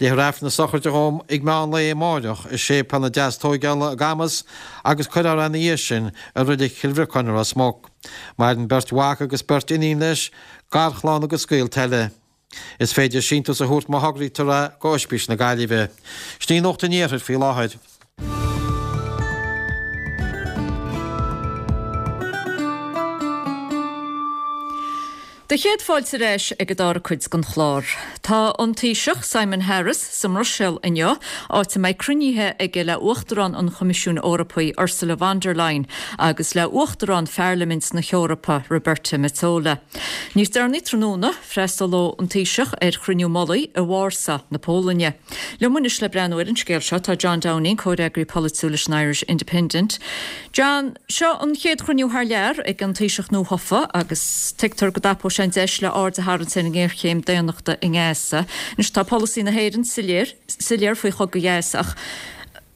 Léifear Aifreann na sochraide dhó ag meán lae amáireach i Séipéal na Deastóigeála i gCamas agus cuirfear é ina dhiaidh sin i Reilig Chill Bhriocáin i Ros Muc. Maireann beirt mhac agus beirt iníon leis, garchlann agus gaolta eile. Is féidir síntiús a thabhairt má thograítear é go Oispís na Gaillimhe. Sin í Nuacht an Iarthair faoi láthair. Do chéad fáilte ar ais ag an dara cuid den chlár. Tá an Taoiseach Simon Harris sa mBruiséil inniu, áit a mbeidh cruinnithe aige le Uachtarán an Choimisiúin Eorpaigh Ursula von der Leyen agus le Uachtarán Pharlaimint na hEorpa Roberta Metsola. Níos deireanaí tráthnóna, freastalóidh an Taoiseach ar chruinniú mullaigh i Vársá na Polainne. Liom anois le breathnú ar an scéal seo tá John Downing, comhfhreagraí polaitiúil leis an Irish Independent. John, seo an chéad chruinniú thar lear ag an Taoiseach nuathofa agus tuigtear go dtapóidh sé an deis le aird a tharraingt ar an ngéarchéim daonnachta i nGaza. Anois tá polasaí na hÉireann soiléir, soiléir faoi chogadh Ghaza ach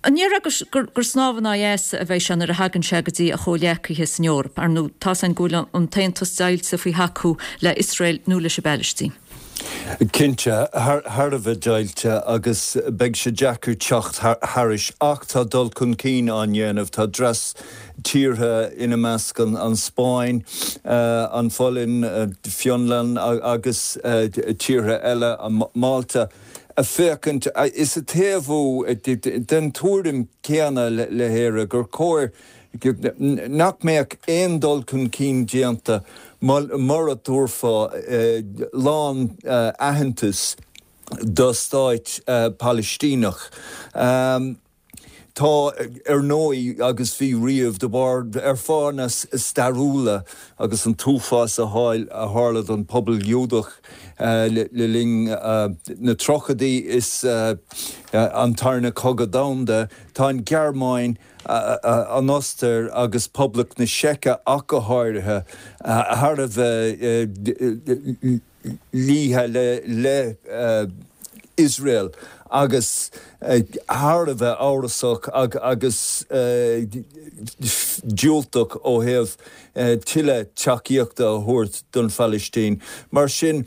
an ndéarfá gur gur snámh in aghaidh easa a bheidh sé nuair a thagann sé go dtí a chomhghleacaithe san Eoraip? Ar ndóigh, tá's againn go bhfuil an tAontas deighilte faoi thacú le Iosrael nó leis an bPalaistín. Cinnte, thar a bheith deighilte agus beidh sé deacair teacht thairis ach tá dul chun cinn á ndéanamh. Tá dreas tíortha, ina measc an Spáinn, an Pholainn, Fionlainn agus tíortha eile, Málta, ag féachaint is ag taobhú den tuairim chéanna le hÉire gur chóir nach mbeadh aon dul chun cinn déanta mura dtabharfá lán-aitheantas do stáit Palaistíneach. Tá, ar ndóigh, agus bhí riamh, de bharr, ar fáthanna stairiúla agus an t-uafás a tharla don phobal Giúdach le linn na tríochaidí is an Tarna Cogadh Domhanda, tá an Ghearmáin, an Ostair agus Poblacht na Seice ach go háirithe, thar a bheith luíte le Iosrael agus thar a bheith amhrasach agus diúltach ó thaobh tuilleadh tacaíochta a thabhairt don Phalaistín. Mar sin,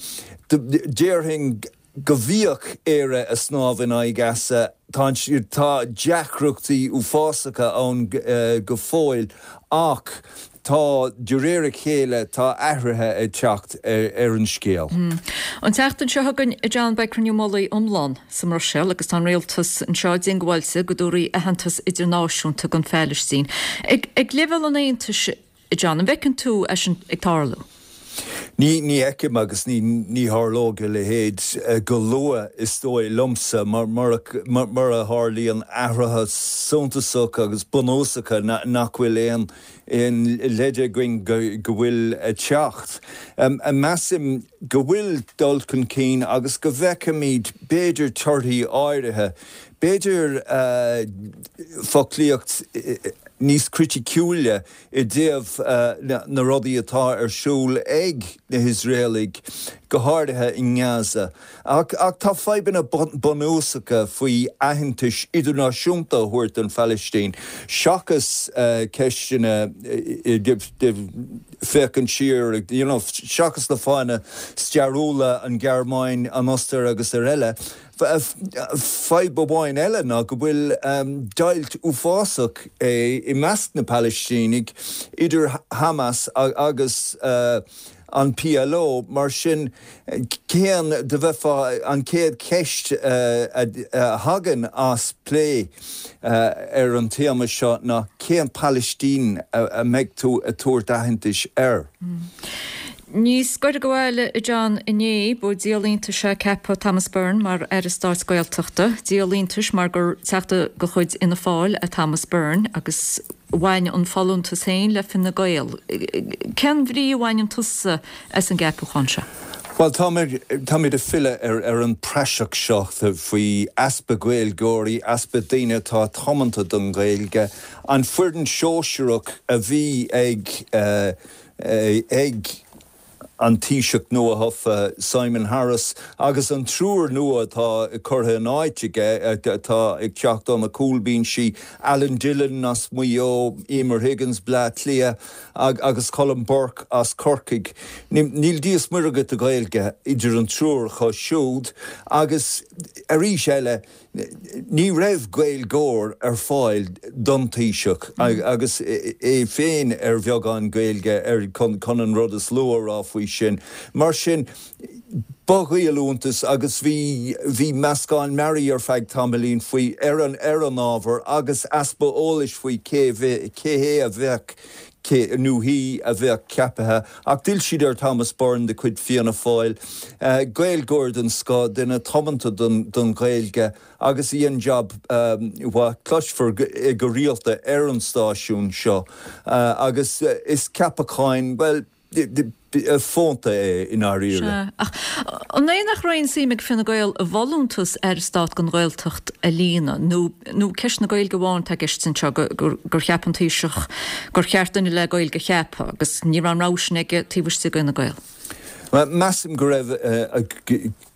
déarfainn go bhíodh Éire ag snámh in aghaidh easa. Tá, tá deacrachtaí uafásacha ann go fóill ach tá, de réir a chéile, tá athruithe ag teacht ar an scéal. An tseachtain seo chugainn, a John, beidh cruinniú mullaigh iomlán sa mBruiséil agus tá an rialtas anseo diongbháilte go dtabharfaí aitheantas idirnáisiúnta don Phalaistín. Ag leibhéal an Aontais, A John, an bhfeiceann tú é sin ag tarlú? Ní, ní fheicim agus ní, ní tharlóidh a leithéid go luath, is dóigh liomsa, mura tharlaíonn athruithe suntasacha agus bunúsacha nach bhfuil aon, aon leid againn go, go bhfuil ag teacht. Measaim go bhfuil dul chun cinn agus go bhfeicfimid b'fhéidir torthaí áirithe, b'fhéidir foclaíocht níos criticiúla i dtaobh na rudaí atá ar siúl ag na hIosraelaigh, go háirithe i nGaza. Ach tá fadhbanna bunúsacha faoi aitheantas idirnáisiúnta a thabhairt don Phalaistín, seachas ceisteanna féachaint siar, you know, seachas na fáthanna stairiúla, an Ghearmáin, an Ostair agus araile. Fadhb amháin eile ná go bhfuil deighilt uafásach i measc na Palaistínigh idir Hamas agus an PLO, mar sin cén, dá mbeifeá, an chéad cheist a thagann as plé ar an téama seo ná cén Palaistín a mbeidh tú ag tabhairt aitheantais air? Níos gaire do bhaile, a John, inné, ba díol iontais é ceapadh Thomas Byrne mar Aire Stáit Gaeltachta. Díol iontais mar gur teachta de chuid Fhianna Fáil é Thomas Byrne agus bhain an folúntas féin le Fine Gael. Cén bhrí a bhaineann tusa as an gceapachán seo? Bhuel, táimid ag filleadh ar an praiseach seo faoi easpa Gaeilgeoirí, easpa daoine atá tiomanta don Ghaeilge. An foireann shóisearach a bhí ag ag an Taoiseach nuathofa Simon Harris agus an triúr nua atá curtha in áit aige, atá ag teacht ó na cúlbhinsí, Alan Dillon as Maigh Eo, Emer Higgins, Bleá Cliath, agus Colm Burke as Corcaigh. Níl Dia is Muire agat de Ghaeilge idir an triúr acu siúd agus arís eile ní raibh Gaeilgeoir ar fáil don Taoiseach agus é féin ar bheagán Gaeilge ar chun an rud is lú a rá faoi sin. Mar sin ba dhíol iontais agus bhí bhí meascán mearaí ar feadh tamaillín faoi ar an ar an ábhar agus easpa eolais faoi cé cé hé a bheadh cé nó hí a bheadh ceaptha ach d'fhill siad ar Thomas Byrne de chuid Fianna Fáil, Gaeilgeoir den scoth, duine tiomanta don don Ghaeilge agus a dhein jab mhaith. Cloisfear é go rialta ar an stáisiún seo agus is ceapacháin, bhuel, fónta é i ndáiríre. Sea, ach an é nach raibh aon suim ag Fine Gael i bhfolúntas Aire Stáit don Ghaeltacht a líonadh, nó nó ceist na Gaeilge amháin atá i gceist anseo, gur gur cheap an Taoiseach gur cheart duine le Gaeilge a cheapadh, agus ní raibh an rogha sin aige taobh istigh d'Fhine Gael? Measaim go raibh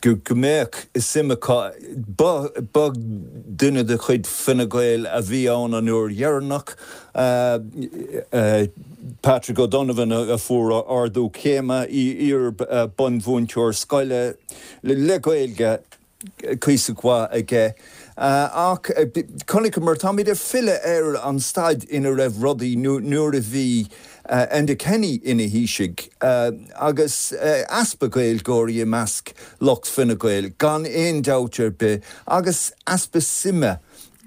go mbeadh suim acu. Ba ba duine de chuid Fine Gael a bhí ann an uair dheireanach, Patrick O'Donovan a fuair ardú céime, iar-bhunmhúinteoir scoile le Gaeilge cuíosach mhaith aige. Ach chonaiceamar, táimid ag filleadh ar an staid ina raibh rudaí nuair a bhí Enda Kenny ina Thaoiseach agus easpa Gaeilgeoirí i measc lucht Fine Gael, gan aon dabht ar bith, agus easpa suime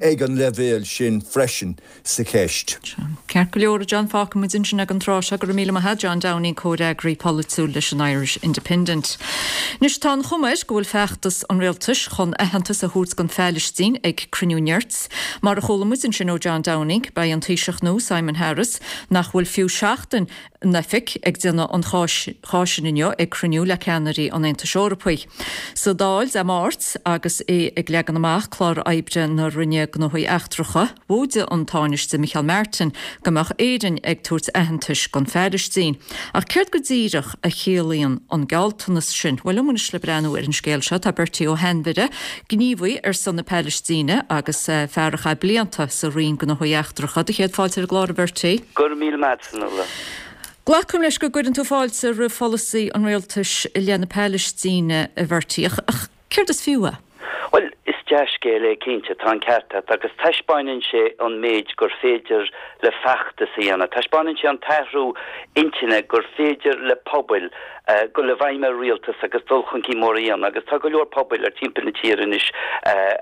ag an leibhéal sin freisin sa cheist. Ceart go leor, a John, fágfaidh muid ansin ag an tráth seo. Go raibh míle maith agat, John Downing, comhfhreagraí polaitiúil leis an Irish Independent. Anois tá an chuma air go bhfuil feachtas an rialtais chun aitheantas a thabhairt don Phailistín ag cruinniú nirt. Mar a chuala muid ansin ó John Downing, beidh an Taoiseach nua, Simon Harris, nach bhfuil fiú seachtain in oifig, ag déanamh an cháis sin inniu ag cruinniú le ceannairí an Aontais Eorpaigh. Sa Dáil Dé Máirt, agus é ag leagan amach clár oibre na Roinne Gnóthaí Eachtracha, mhóidigh an Tánaiste Micheál Martin go mbeadh Éirinn ag tabhairt aitheantais don Phailistín. Ach céard go díreach a chiallaíonn an gealltanas sin? Bhuel, liom anois le breathnú ar an scéal seo tá Bertie Ó hAinmhire, gníomhaí ar son na Palaistíne agus fear a chaith blianta sa Roinn Gnóthaí Eachtracha. Do chéad fáilte ar an gclár, a Bhertie. Go raibh míle maith agat, Fionnuala. Glacaim leis go gcuireann tú fáilte roimh pholasaí an rialtais i leith na Palaistíne, a Bhertie, ach céard is fiú é? Bhuel, is dea-scéal é cinnte, tá an ceart agat, agus taispeáineann sé an méid gur féidir le feachtas a dhéanamh. Taispeáineann sé an t-athrú intinne gur féidir le pobail dul i bhfeidhm ar rialtas agus dul chun cinn mór a dhéanamh agus tá go leor pobail ar timpeall na tíre anois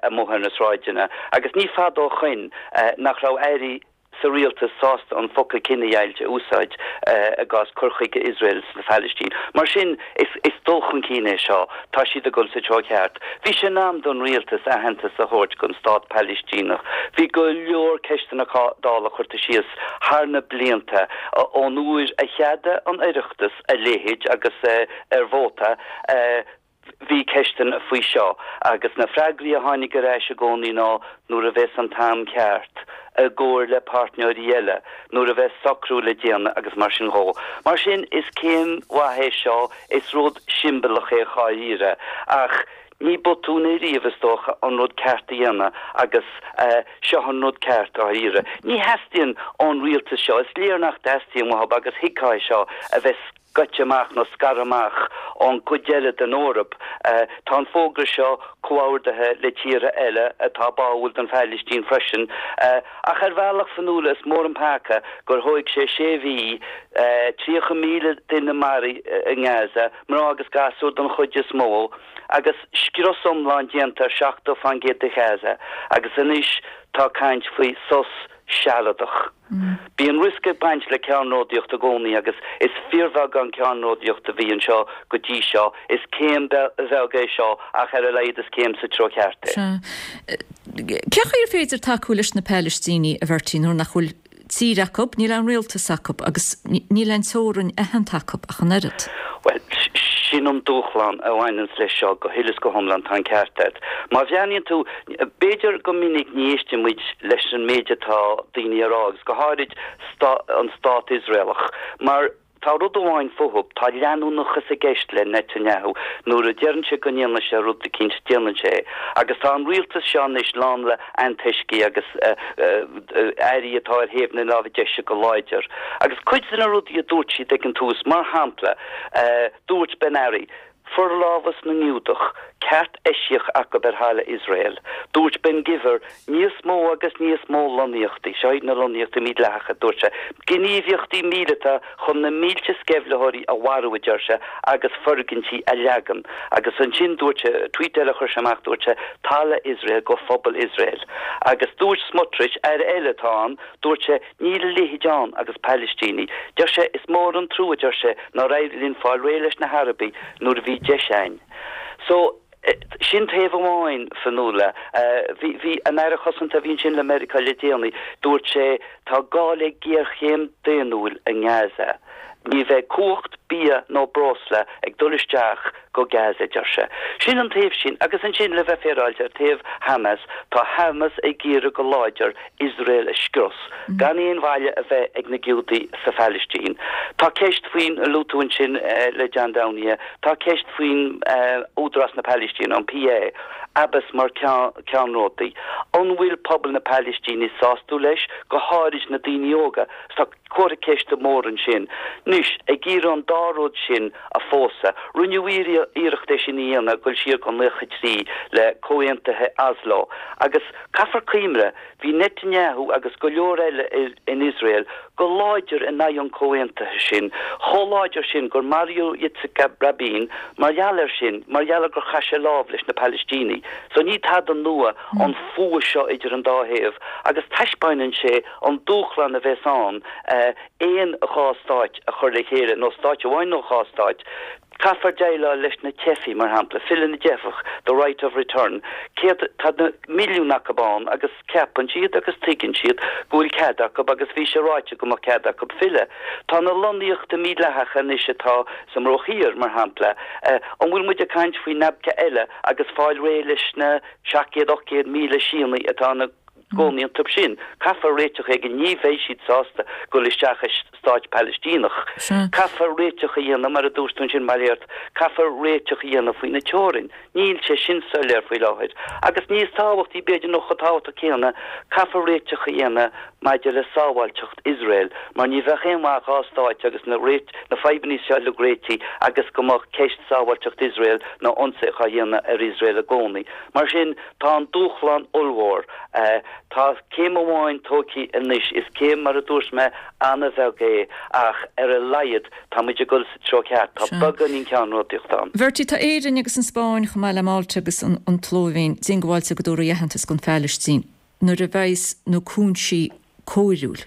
amuigh ar na sráideanna agus ní fada ó shoin nach raibh airí sa rialtas sásta an focal cinedheighilt a úsáid i gcás cur chuige Iosrael sa Phalaistín. Mar sin, is dul chun cinn é seo. Tá siad ag dul sa treo ceart. Bhí sé in am don rialtas aitheantas a thabhairt don stát Palaistíneach. Bhí go leor ceisteanna Dála curtha síos thar na blianta ón uair a cheadaigh an Oireachtas a leithéid agus ar vóta, Bhí ceisteanna faoi seo agus na freagraí a tháinig ar ais i gcónaí ná nuair a bheas an t-am ceart, i gcomhar le páirtneoirí eile, nuair a bheas socrú le déanamh agus mar sin dhó. Mar sin, is céim mhaith é seo, is rud siombalach é dháiríre, ach ní botún é riamh, is dócha, an rud ceart a dhéanamh agus seo an rud ceart, dháiríre. Ní theastaíonn ón rialtas seo, is léir nach dteastaíonn uathu agus thuigfeá é seo, a bheith. scoite amach nó scartha amach ón gcuid eile den Eoraip. Tá an fógra seo comhordaithe le tíortha eile atá báúil don Phailistín freisin. Ach ar bhealach, Fionnuala, is mór an peaca gur thóig sé sé mhí, 30,000 duine maraithe i nGaza, mná agus gasúir don chuid is mó, agus scrios iomlán déanta ar 70% de Ghaza, agus anois tá caint faoi sos sealadach. Bíonn riosca ag baint le ceannródaíocht i gcónaí agus is fíorbheagán ceannródaíocht a bhí anseo go dtí seo. Is céim bheag é seo ach ar a laghad is céim sa treo ceart é. Sea. Cén chaoi ar féidir tacú leis na Palaistínigh, a Bhertie, nuair nach bhfuil tír acu, níl aon rialtas acu agus níl aon teorainn aitheanta acu ach an oiread? Bhuel, Sin an dúshlán a bhaineanns leis seo go huile is go hiomlán, tá an ceart agat. Má bhreathnaíonn tú, b'fhéidir go minic ní éisteann muid leis an méid atá daoine a rá agus go háirid an stát Iosraelach mar tá rud amháin fúthu, tá leanúnachas i gceist le Netanyahu, nuair a deireann sé go ndéanfaidh sé rud eicínt, déanann sé é. Agus tá an rialtas seo anois lán le antoiscigh agus airí atá ar thaobh na láimhe deise go láidir. Agus cuid de na rudaí a dúirt siad ag an tús, mar shampla, dúirt Ben Ari, forlámhas na nGiúdach, ceart eisiach acu ar thalamh Iosrael. Dúirt Ben Gvir, níos mó agus níos mó lonnaíochtaí, seo iad na lonnaíochtaí mídhleathacha, dúirt sé, gníomhaíochtaí míleata chun na mílte sceimhlitheoirí a mharú, a deir sé, agus foirgintí a leagan. Agus ansin dúirt sé, tweet eile a chuir sé amach, dúirt sé, talamh Iosrael go phobal Iosrael. Agus dúirt Smotrich, aire eile atá ann, dúirt sé, níl a leithéid ann agus Palaistínigh. Deir sé, is mór an trua, deir sé, nár éirigh linn fáil réidh leis na hArabaigh nuair a bhí deis a'inn. So, sin taobh amháin, Fionnuala. Bhí, bhí an Aire Cosanta a bhí ansin le Meiriceá le déanaí, dúirt sé, Tá gá le géarchéim daonnúil i nGaza. Ní bheidh cumhacht, bia nó breosla ag dul isteach go Gaza, a deir sé. Sin an taobh sin. Agus ansin, le bheith féaráilte, ar taobh Hamas, tá Hamas ag iarraidh go láidir Iosrael a scrios, gan aon bhaile a bheith ag na Giúdaigh sa Phalaistín. Tá ceist faoin, luaigh tú ansin le John Downey, tá ceist faoin Údarás na Palaistíne, an PA. Abbas mar cheannródaí. An bhfuil pobal na Palaistíne sásta leis, go háirid na daoine óga? Tá comhartha ceiste mór ansin. Anois, ag iarraidh an dá rud sin a phósadh. Rinneadh iarracht é sin a dhéanamh ag dul siar go 93 le Comhaontuithe Oslo. Agus caithfear cuimhneamh, bhí Netanyahu agus go leor eile in Iosrael go láidir in aghaidh an chomhaontaithe sin, chomh láidir sin gur maraíodh Yitzhak Rabin mar gheall air sin, mar gheall ar gur chaith sé lámh leis na Palaistínigh. So ní tada nua an fuath seo idir an dá thaobh agus taispeáineann sé an dúshlán a bheas ann aon dhá stáit a chur le chéile, nó stáit amháin nó dhá stáit. Caithfear déileáil leis na teifigh, mar shampla, filleadh na dteifeach, the right of return. Céad, tá na milliúin acu ann agus ceapann siad agus tuigeann siad go bhfuil cead acu agus bhí sé ráite go mbeadh cead acu filleadh. Tá na lonnaíochtaí mídhleathacha anois atá sa mBruach Thiar, mar shampla. An bhfuil muid ag caint faoi Nabka eile agus fáil réidh leis na 700, 800,000 Síónaigh atá ina gcónaí iontu sin. Caithfear réiteach éigin, ní bheidh siad sásta dul isteach i stáit Palaistíneach. Caithfear réiteach a dhéanamh, mar a dúirt tú ansin, Mairéad, caithfear réiteach a dhéanamh faoi na teorainn. Níl sé sin soiléir faoi láthair. Agus níos tábhachtaí, b'fhéidir, nó chomh tábhachtach céanna, caithfear réiteach a dhéanamh maidir le sábháilteacht Iosrael, mar ní bheadh aon mhaith dhá stáit agus na na fadhbanna seo uilig réitithe agus go mbeadh ceist sábháilteacht Iosrael nó ionsaí á dhéanamh ar Iosrael i gcónaí. Mar sin, Tá an dúshlán ollmhór. Tá céim amháin tógtha anois. Is céim, mar a dúirt mé, an-bheag é ach ar a laghad tá muid ag dul sa treo ceart. Tá beagáinín ceannródaíocht ann. Bhertie, tá Éirinn agus an Spáinn, chomh maith le Málta agus an tSlóivéin, diongbháilte go dtabharfaí aitheantas don Phalaistín nuair a bheas na cúinsí cóiriúil.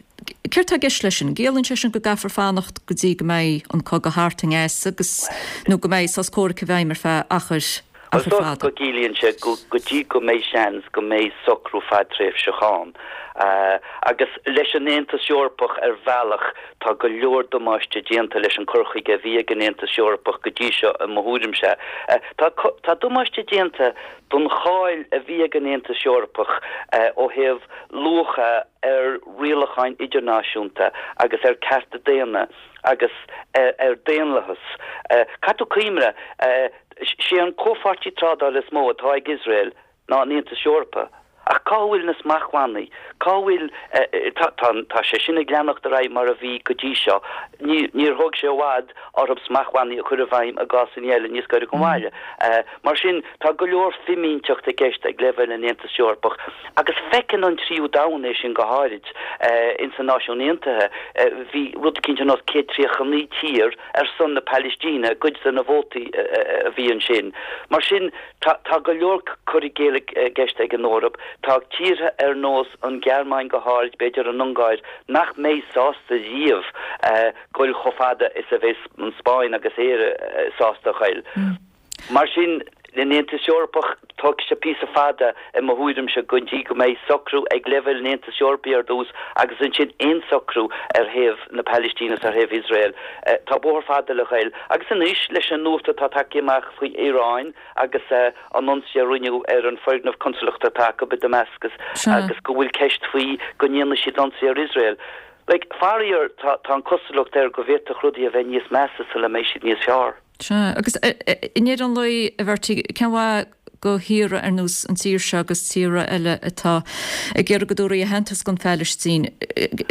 Céard tá i gceist leis sin? An gciallaíonn sé sin go gcaithfear fanacht go dtí go mbeidh an cogadh thart i nGaza agus, nó go mbeidh sos comhraic i bhfeidhm ar feadh achar, Is achar dócha fada? go gciallaíonn sé go dtí go mbeidh seans go mbeidh socrú fadtréimhseach ann. Agus leis an Aontas Eorpach ar bhealach tá go leor damáiste déanta leis an cur chuige a bhí ag an Aontas Eorpach go dtí seo i mo thuairimse. Tá, tá damáiste déanta don cháil a bhí ag an Aontas Eorpach ó thaobh luacha ar rialacháin idirnáisiúnta agus ar cearta daonna agus ar daonlathas. Caithfidh tú cuimhneamh, sé an comhpháirtí trádála is mó atá ag Iosrael ná an Aontas Eorpach. Ach cá bhfuil na smachtbhannaí? Cá bhfuil, tá, tá sé sin ag leanacht ar aghaidh mar a bhí go dtí seo. Ní, níor thóg sé i bhfad orthu smachtbhannaí a chur i bhfeidhm i gcásanna eile níos gaire don bhaile. Mar sin, tá go leor fimínteacht i gceist ag leibhéal an Aontais Eorpaigh agus feiceann an tríú domhan é sin go háirid. Ins na Náisiúin Aontaithe, bhí rud eicínt ar nós 139 tír ar son na Palaistíne i gcuid de na vótaí a bhí ansin. Mar sin, tá tá go leor cur i gcéill i gceist ag an Eoraip. Tá tíortha ar nós an Ghearmáin go háirid, b'fhéidir an Ungáir, nach mbeidh sásta riamh goil chomh fada is a bheas an Spáinn agus Éire sásta a ghoil. Mar sin, an Aontas Eorpach, Tógfaidh sé píosa fada, i mo thuairimse, go dtí go mbeidh socrú ag leibhéal an Aontais Eorpaigh ar dtús agus ansin aon socrú ar thaobh na Palaistíne is ar thaobh Iosrael. Tá bóthar fada le ghoil. Agus anois, leis an nuacht atá tagtha amach faoi Iaráin agus an ionsaí a rinneadh ar an foirgneamh consalachta atá acu i Damascus agus go bhfuil ceist faoi go ndéanfaidh siad ionsaí ar Iosrael. Like, faraor, tá an cosúlacht air go bhféadfadh rudaí a bheith níos measa sula mbeidh siad níos fearr. Sea, agus i ndeireadh an lae, a Bhertie, cén mhaith go thíortha ar nós an tír seo agus tíortha eile atá ag iarraidh go dtabharfaí aitheantas don Phalaistín,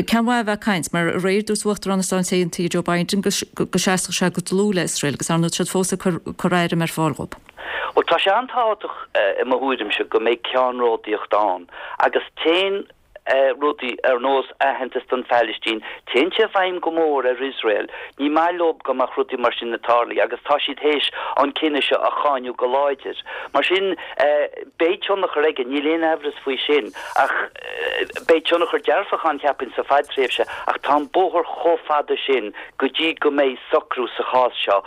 cén mhaith a bheith ag caint? Mar aréir dúirt Uachtarán na Stát Aontaithe Joe Biden go seasfadh sé go dlúth le Iosrael agus ar ndóigh tá siad fós ag cur airm ar fáil dhóibh. Bhuel, tá sé an-tábhachtach i mo thuairimse go mbeidh ceannródaíocht ann agus téann rudaí ar nós aitheantas don Phalaistín, téann sé i bhfeidhm go mór ar Iosrael. Ní maith leo go mbeadh rudaí mar sin ag tarlú agus tá siad théis an cinneadh seo a cháineadh go láidir. Mar sin, beidh tionchar aige, níl aon aimhreas faoi sin, ach beidh tionchar dearfach ann, cheapfainn, sa fadtréimhse, ach tá an bóthar chomh fada sin go dtí go mbeidh socrú sa chás seo.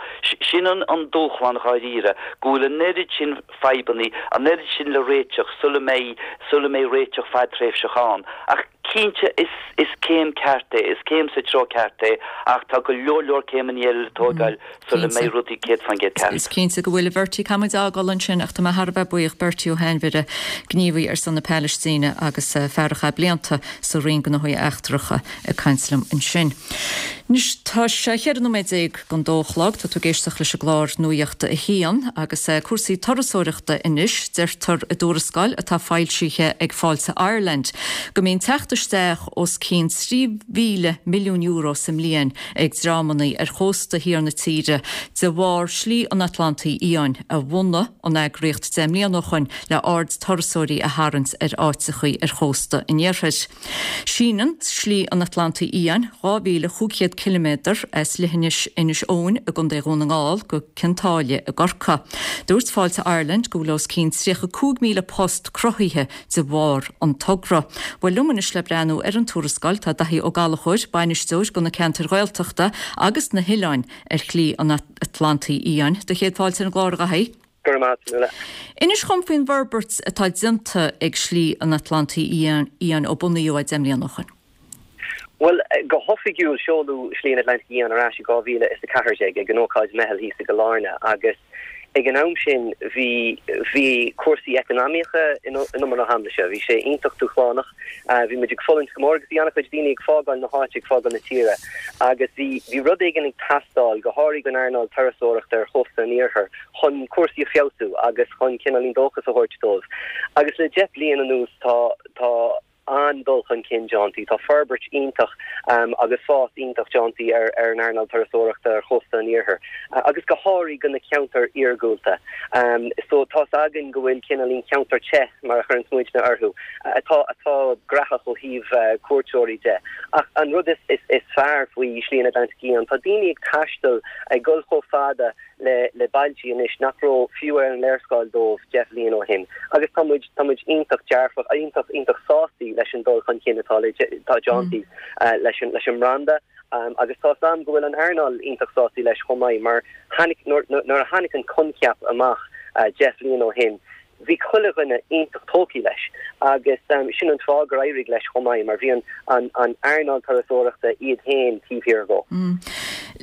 Sin an dúshlán dháiríre, go bhfuil an oiread sin fadhbanna, an oiread sin le réiteach sula mbeidh, sula mbeidh réiteach fadtréimhseach ann. Ach cinnte, is, is céim ceart é, is céim sa treo ceart é, ach tá go leor leor céimeanna eile le tógáil sula mbeidh rudaí 100% ceart. Is cinnte go bhfuil, a Bhertie. Caithfidh muid a fhágáil ansin ach tá mé thar a bheith buíoch, Bertie Ó hAinmhire, gníomhaí ar son na Palaistíne agus fear a chaith blianta sa Roinn Gnóthaí Eachtracha ag caint liom ansin. Anois tá sé 14 nóiméad don dó a chlog, tá tú ag éisteacht leis an gclár Nuacht a hAon agus cúrsaí turasóireachta anois. Deirtear i dtuarascáil atá foilsithe ag Fáilte Ireland go mbíonn teacht isteach os cionn €3,000 milliún sa mbliain ag dreamanna ar chósta thiar na tíre de bharr Slí an Atlantaigh Fhiáin a bhunaigh an eagraíocht 10 mbliana ó shoin le aird turasóirí a tharraingt ar áiteachaí ar chósta an iarthair. Síneann Slí an Atlantaigh Fhiáin 2,500 ciliméadar as leithinis Inis Eoghain i gContae Dhún na nGall go Cionn tSáile i gCorcaigh. Dúirt Fáilte Ireland go bhfuil os cionn 35,000 post cruthaithe de bharr an togra. Bhuel liom anois le breathnú ar an tuarascáil tá Daithí Ó Gallchóir, bainisteoir do na ceantair Ghaeltachta agus na hoileáin ar Shlí an Atlantaigh Fhiáin. Do chéad fáilte ar an gclár, a Dhaithí. Go raibh maith agat, Nuala. Inis dhom faoin bhforbairt atá déanta ag Slí an Atlantaigh Fhiáin ó bunaíodh é 10 mbliana ó shoin. Bhuel, go hoifigiúil seoladh Slí an Atlantaigh Fhiáin ar ais i 2014 ag an ócáid meitheal thíos i gCill Airne agus ag an am sin bhí bhí cúrsaí eacnamaíocha in umar na haimléise. Bhí sé iontach dúshlánach. Bhí muid ag fulaingt go mór agus bhí an-chuid daoine ag fágáil na háite, ag fágáil na tíre agus bhí bhí rud éigin ag teastáil, go háirithe don earnáil turasóireachta ar chósta an iarthair. chun cúrsaí a feabhsú agus chun cineáilín dóchas a thabhairt dóibh. Agus le 10 bliain anuas tá tá an-dul chun cinn déanta, tá forbairt iontach agus fás iontach déanta ar ar an earnáil turasóireachta ar chósta an iarthair agus go háirithe go na ceantair iargúlta. So tá's againn go bhfuil cineáilín ceantar te mar a chuireanns muidne orthu atá atá graitheach ó thaobh cuairteoirí de. Ach an rud is is is fearr faoi Shlí an Atlantaigh Fhiáin, tá daoine ag taisteal ag dul chomh fada le le bailtí anois nach raibh fiú ar an léarscáil dóibh 10 bhliain ó shin agus tá muid tá muid iontach dearfach iontach iontach sástaí leis an dul chun cinn atá le atá déantaí leis an leis an mbranda agus tá 's a'm go bhfuil an earnáil iontach sástaí leis chomh maith mar tháinig nuair nuair a tháinig an coincheap amach 10 bhliain ó shin Bhí chuile dhuine iontach tógtha leis agus sin an fáth gur éirigh leis chomh maith mar bhí an an earnáil turasóireachta iad féin taobh thiar dhó.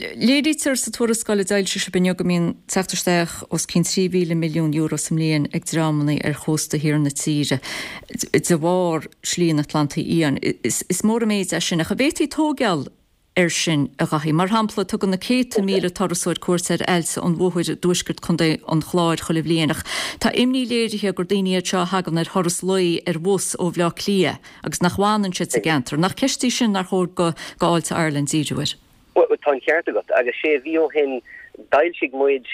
Léirítear sa tuarascáil a d'fhoilsigh sibh inniu go mbíonn teacht isteach os cionn €3,000 milliún sa mbliain ag dreamanna ar chósta thiar na tíre de bharr Slí an Atlantaigh Fhiáin. Is mór an méid é sin ach an bhféadfaí tóigeáil air sin, a Dhaithí. Mar shampla, tugann na céadta míle turasóir cuairt ar Aillte an Mhothair i dtuaisceart Chontae an Chláir chuile bhliain, ach tá imní léirithe gur daoine iad seo a thagann ar thuras lae ar bhus ó Bhleá Cliath agus nach bhfanann siad sa gceantar. Nach ceist í sin nár chóir go Fháilte Ireland díriú air? Bhuel, tá an ceart agat, agus sé mhí ó shin d'fhoilsigh muid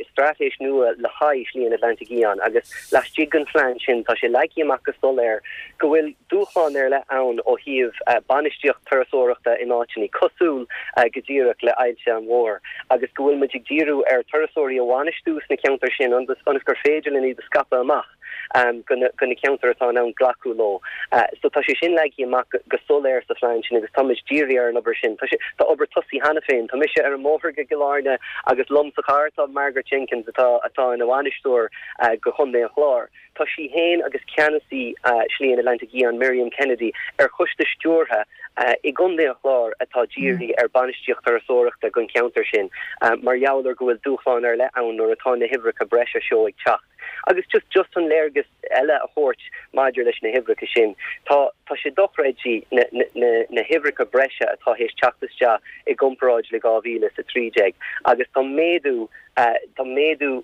straitéis nua le haghaidh Shlí an Atlantaigh Fhiáin agus laistigh den phlean sin tá sé leagtha amach go soiléir go bhfuil dúshlán ar leith ann ó thaobh bainistíocht turasóireachta in áiteanna cosúil go díreach le Aillte an Mhothair agus go bhfuil muid ag díriú ar turasóirí a bhainistiú sna ceantair sin ionas gur féidir linn iad a scaipeadh amach. go na ceantair atá in ann glacadh leo. So tá sé sin leagtha amach go soiléir sa phlean sin agus táimid dírithe ar an obair sin. Tá sé, tá obair tosaithe cheana féin. Tá mise ar an mbóthar go Cill Airne agus liom sa charr tá Margaret Jenkins atá atá ina bhainisteoir go Chontae an Chláir. Tá sí féin agus ceannasaí Slí an Atlantaigh Fhiáin, Miriam Kennedy, ar choiste stiúrtha i gContae an Chláir atá dírithe ar bainistíocht turasóireachta don cheantar sin mar gheall ar go bhfuil dúshláin ar leith ann nuair atá na huimhreacha breise seo ag teacht. Agus just just chun léargas eile a thabhairt maidir leis na huimhreacha sin, tá tá sé dochreidte na na na huimhreacha breise atá théis teacht isteach i gcomparáid le 2013 agus tá méadú tá méadú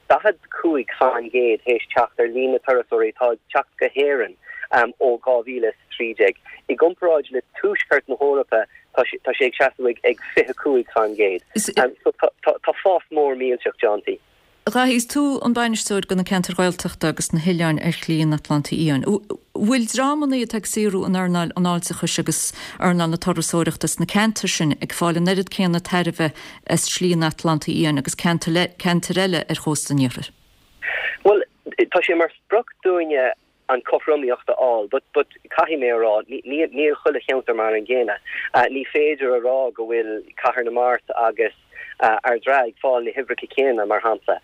45 fan gcéad théis teacht ar líon na turasóirí atá ag teacht go hÉirinn ó 2013. I gcomparáid le tuaisceart na hEorpa tá tá sé ag seasamh ag ag 25 fan gcéad. So tá tá fás mór millteach déanta. Dhaithí, is tú an bainisteoir do na ceantair Ghaeltachta agus na hoileáin ar Shlí an Atlantaigh Fhiáin. Bhfuil dreamanna atá ag saothrú in earnáil an fháilteachais agus earnáil na turasóireachta sna ceantair sin ag fáil an oiread céanna tairbhe as Slí an Atlantaigh Fhiáin agus ceantair eile ar chósta an iarthair? Bhuel, tá sé mar sprioc dúinne an cothromaíocht a fháil but but caithfidh mé a rá níl níl chuile cheantar mar an gcéanna. Ní féidir a rá go bhfuil Cathair na Mart agus Ard an Rátha ag fáil na huimhreacha céanna mar shampla.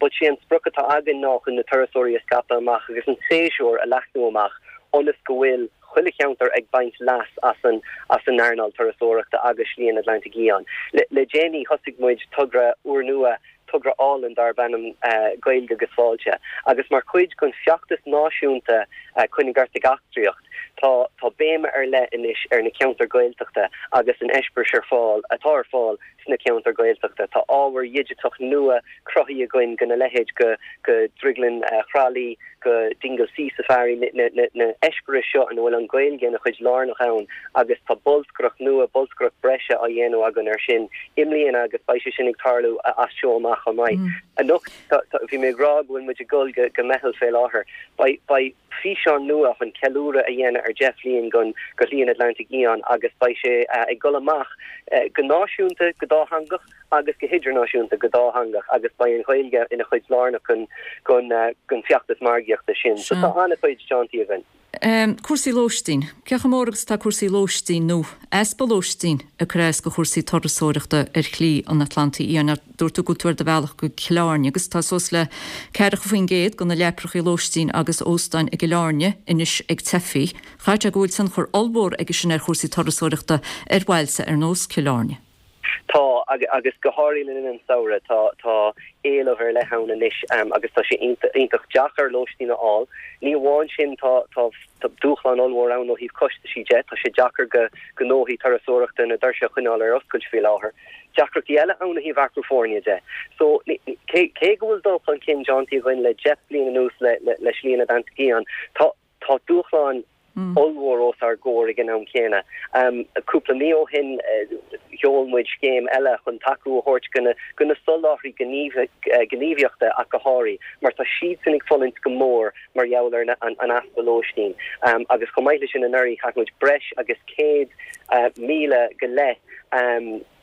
But sé an sprioc atá againn ná chun na turasóirí a scaipeadh amach agus an séasúr a leathnú amach ionas go bhfuil chuile cheantar ag baint leas as an as an earnáil turasóireachta agus Slí an Atlantaigh Fhiáin. Le le déanaí thosaigh muid togra úrnua togra álainn darb ainm Gaeilge agus Fáilte agus mar chuid den feachtas náisiúnta Coinnigh Ort ag Eachtraíocht tá tá béim ar leith anois ar na ceantair Ghaeltachta agus an eispéireas ar fáil atá ar fáil sna ceantair Ghaeltachta. Tá ábhar dhigiteach nua cruthaithe againn gona leithéid go go Drioglann Thrá Lí, go Dingle Sea Safari, na na eispéiris seo ina bhfuil an Ghaeilge ina chuid lárnach ann agus tá bolscaireacht nua, bolscaireacht breise á dhéanamh againn ar sin i mbliana agus beidh sé sin ag tarlú as seo amach chomh maith. Anocht, bhí mé ag rá go bhfuil muid ag dul go go meitheal fé láthair. Beidh beidh físeán nua chun ceiliúradh a dhéanamh ar 10 bhliain gon go Shlí an Atlantaigh Fhiáin agus beidh sé ag dul amach go náisiúnta, go dátheangach, agus go hidirnáisiúnta, go dátheangach agus beidh an Ghaeilge ina chuid lárnach den feachtas margaíochta sin. So tá an-chuid déanta againn. Cúrsaí lóistín. Cé chomh mór agus atá cúrsaí lóistín nó easpa lóistín ag cur as do chúrsaí turasóireachta ar Shlí an Atlantaigh Fhiáin? Dúirt tú go bhfuil tú ar do bhealach go Cill Airne agus tá suas le 40% de na leaprachaí lóistín agus óstáin i gCill Airne anois ag teifigh. Chaithfeadh sé go bhfuil tionchar ollmhór aige sin ar chúrsaí turasóireachta ar bhailte ar nós Cill Airne. Tá, agus go háirithe le linn an samhradh, tá tá éileamh ar leith ann anois agus tá sé iontach deacair lóistín a fháil. Ní amháin sin, tá tá dúshlán ollmhór ann ó thaobh costaisí de, tá sé deacair go gnóthaí turasóireachta na doirse a choinneáil ar oscailt faoi láthair. Deacrachtaí eile ann ó thaobh earcú foirne de. So, cé cé go bhfuil dul chun cinn déanta againn le 10 bliain anuas le le Slí an Atlantaigh Fhiáin, tá Tá dúshláin ollmhór os ár gcomhair ag an am céanna. Cúpla mí ó shin sheol muid scéim eile chun tacú a thabhairt go na soláthraí gníomhaíochta ach go háirithe, mar tá siadsan ag fulaingt go mór mar gheall ar an easpa lóistín. Agus chomh maith leis sin anuraidh chaith muid breis agus 100,000 go leith,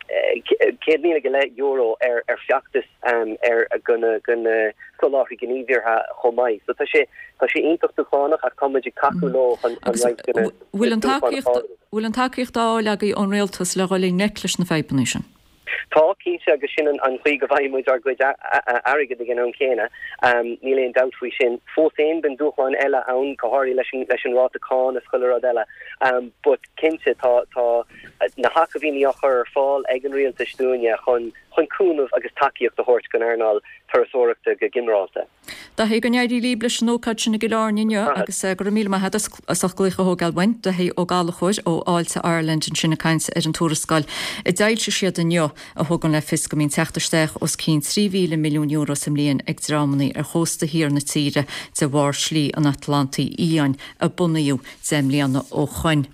€100,000 go leith ar feachtas ar go na go na soláthraí gníomhaíochta chomh maith. So tá sé tá sé iontach dúshlánach ach tá muid ag tacú leo chun chun roinnt de na Bhfuil an tacaíocht bhfuil an tacaíocht á fháil agaibh ón rialtas le dhul i ngleic leis na fadhbanna sin? Tá, cinnte, agus sin an chaoi go bhfaigheann muid ár gcuid airgid ag an am céanna. Níl aon dabht faoi sin. Fós féin, bíonn dúshláin eile ann, go háirithe leis an leis an ráta cáin is chuile rud eile. But cinnte, tá tá na hacmhainní á chur ar fáil ag an rialtas dúinne chun chun cúnamh agus tacaíocht a thabhairt don earnáil turasóireachta go ginearálta. Daithí, go n-éirí libh leis an ócáid sin i gCill Airne inniu agus go raibh míle maith agat as ucht glaoch a thógáil uainn. Daithí Ó Gallchóir ó Fháilte Ireland ansin ag caint ar an tuarascáil a d'fhoilsigh siad inniu a thugann le fios go mbíonn teacht isteach os cionn €3,000 milliún sa mbliain ag dreamanna ar chósta thiar na tíre de bharr Slí an Atlantaigh Fhiáin a bunaíodh 10 mbliana ó shoin.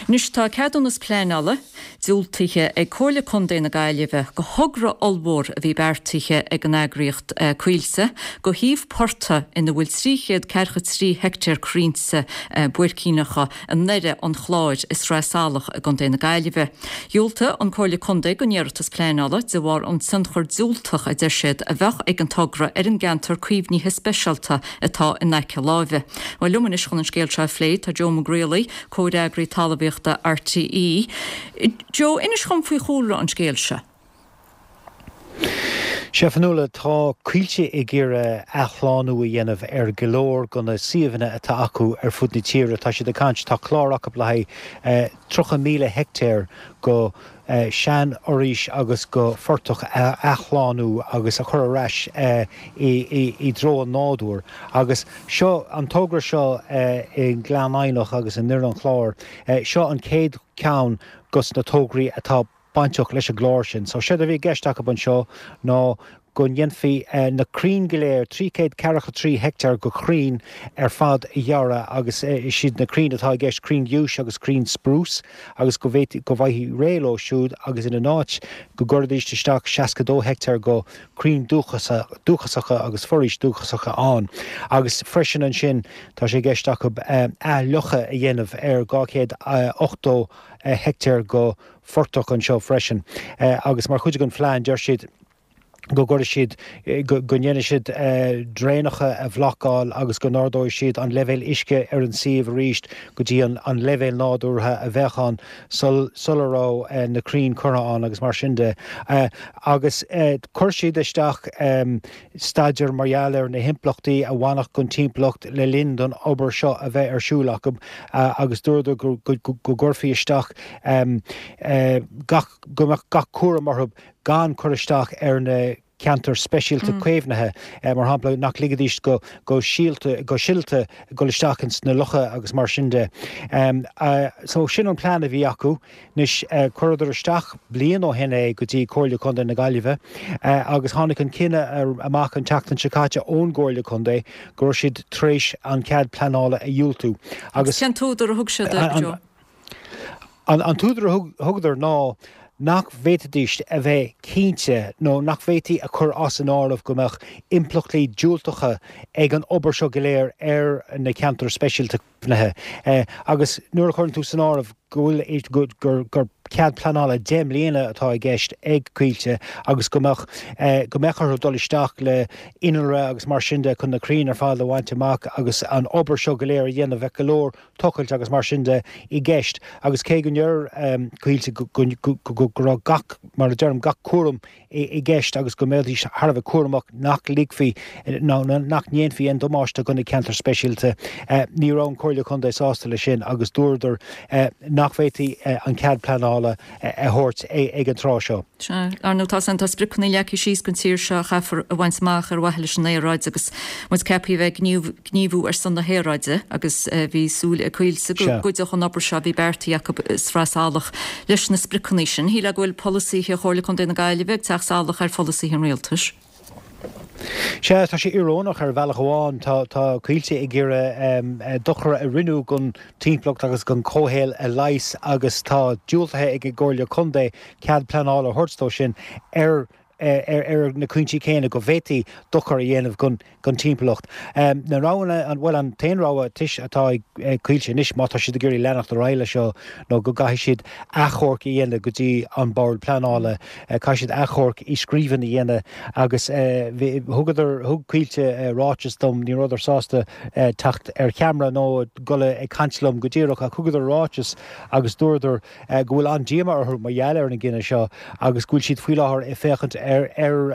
Anois tá ceadúnas pleanála diúltaithe ag Comhairle Contae na Gaillimhe do thogra. togra ollmhór a bhí beartaithe ag an eagraíocht Coillte go shuíomh portaigh ina bhfuil 343 heictéar crainnte buaircíneacha i nDoire an Chláir i Sraith Salach i gContae na Gaillimhe. Dhiúltaigh an Comhairle Contae don iarratas pleanála de bharr an tionchar diúltach a deir siad a bheadh ag an togra ar an gceantar caomhnaithe speisialta atá in aice láimhe. Bhuel liom anois chun an scéal seo a phlé tá Joe Mac Riollaigh, Comhfhreagraí Talmhaíochta RTÉ. Joe, inis dhom faoi chúlra an scéil seo. Sea, Fionnuala, tá Coillte ag iarraidh athshlánú a dhéanamh ar go leor de na suíomhanna atá acu ar fud na tíre. Tá siad ag caint, tá clár acu le haghaidh 30,000 heictéar go seanfhoraois agus go phortach a athshlánú agus a chur ar ais i dtreo an nádúir. Agus seo, an togra seo i nGleann Eidhneach agus i nDoire an Chláir, seo an chéad cheann dos na tograí atá bainteach leis an gclár sin. So séard a bhí i gceist acu anseo ná go ndéanfaí na crainn go léir, 343 heicteár go chrainn ar fad a ghearradh agus is iad na crainn atá i gceist crainn ghiúis agus crainn spruce agus go bhféadfaí, go bhfaighfí réidh leo siúd agus ina n-áit go gcuirfidís isteach 62 heicteár go crainn dúchasacha agus foraois dúchasacha ann. Agus freisin ansin tá sé i gceist acu athfhliuchadh a dhéanamh ar 280 heicteár go phortach anseo freisin agus mar chuid den phlean deir siad go gcuirfidh siad, go ndéanfaidh siad draenacha a bhlocáil agus go n-ardóidh siad an leibhéal uisce ar an suíomh arís go dtí an leibhéal nádúrtha a bheadh ann sula raibh na crainn curtha ann agus mar sin de. Agus chuir siad isteach staidéar mar gheall ar na himpleachtaí a bhainfeadh don timpeallacht le linn don obair seo a bheith ar siúl acu agus dúradar go gcuirfí isteach gach, go mbeadh gach cúram orthu gan cur isteach ar na ceantair speisialta caomhnaithe, mar shampla, nach ligfidís go go síolta, go siolta dul isteach ins na locha agus mar sin de. So sin an plean a bhí acu. Anois, chuireadar isteach bliain ó shin é go dtí Comhairle Contae na Gaillimhe agus tháinig an cinneadh amach an tseachtain seo caite ón gComhairle Contae go raibh siad tar éis an cead pleanála a dhiúltú agus. Cén t-údar a thug siad, Joe? An t-údar a thugadar ná nach bhféadfaidís a bheith cinnte nó nach bhféadfaí a chur as an áireamh go mbeadh impleachtaí diúltacha ag an obair seo go léir ar na ceantair speisialta. caomhnaithe. Agus nuair a chuireann tú san áireamh go bhfuil, gur, gur cead pleanála 10 mbliana atá i gceist ag Coillte agus go mbeadh, go mbeadh orthu dul isteach le innealra agus mar sin de chun na crainn ar fad a bhaint amach agus an obair seo go léir a dhéanamh, bheadh go leor tochailt agus mar sin de i gceist. Agus cé go ndeir Coillte go, go, go raibh gach, mar a deirim, gach cúram i gceist agus go mbeidís thar a bheith cúramach nach ligfí nó nach ndéanfaí aon damáiste do na ceantair speisialta. Ní raibh an Chomhairle Contae sásta leis sin agus dúradar nach bhféadfaí an cead pleanála a thabhairt ag an tráth seo. Sea, ar ndóigh tá tá spriocanna leagtha síos don tír seo a chaithfear a bhaint amach ar mhaithe leis an aeráid agus muid ceaptha a bheith ag gníomhú ar son na haeráide agus bhí súil ag Coillte go gcuideodh an obair seo a bhí beartaithe acu i Sraith Salach leis na spriocanna sin. Shílfeá go bhfuil polasaithe Chomhairle Contae na Gaillimhe ag teacht salach ar pholasaithe an rialtais. Sea, tá sé íorónach ar bhealach amháin. Tá tá Coillte ag iarraidh dochar a rinneadh don timpeallacht agus don chomhshaol a leigheas agus tá diúltaithe ag an gComhairle Contae cead pleanála a thabhairt dó sin ar ar na cúinsí céanna go bhféadfaí dochar a dhéanamh don timpeallacht. Na roghanna, bhuel an t-aon rogha atá ag Coillte anois má tá siad ag iarraidh leanacht ar aghaidh leis seo nó go gcaithfidh siad achomharc a dhéanamh go dtí an Bord Pleanála, caithfidh siad achomharc i scríbhinn a dhéanamh agus thugadar, thug Coillte ráiteas dom, ní rabhadar sásta teacht ar cheamara nó dul ag caint liom go díreach ach thugadar ráiteas agus dúradar go bhfuil an-díomá orthu mar gheall ar an gcinneadh seo agus go bhfuil siad faoi láthair ag féachaint ar ar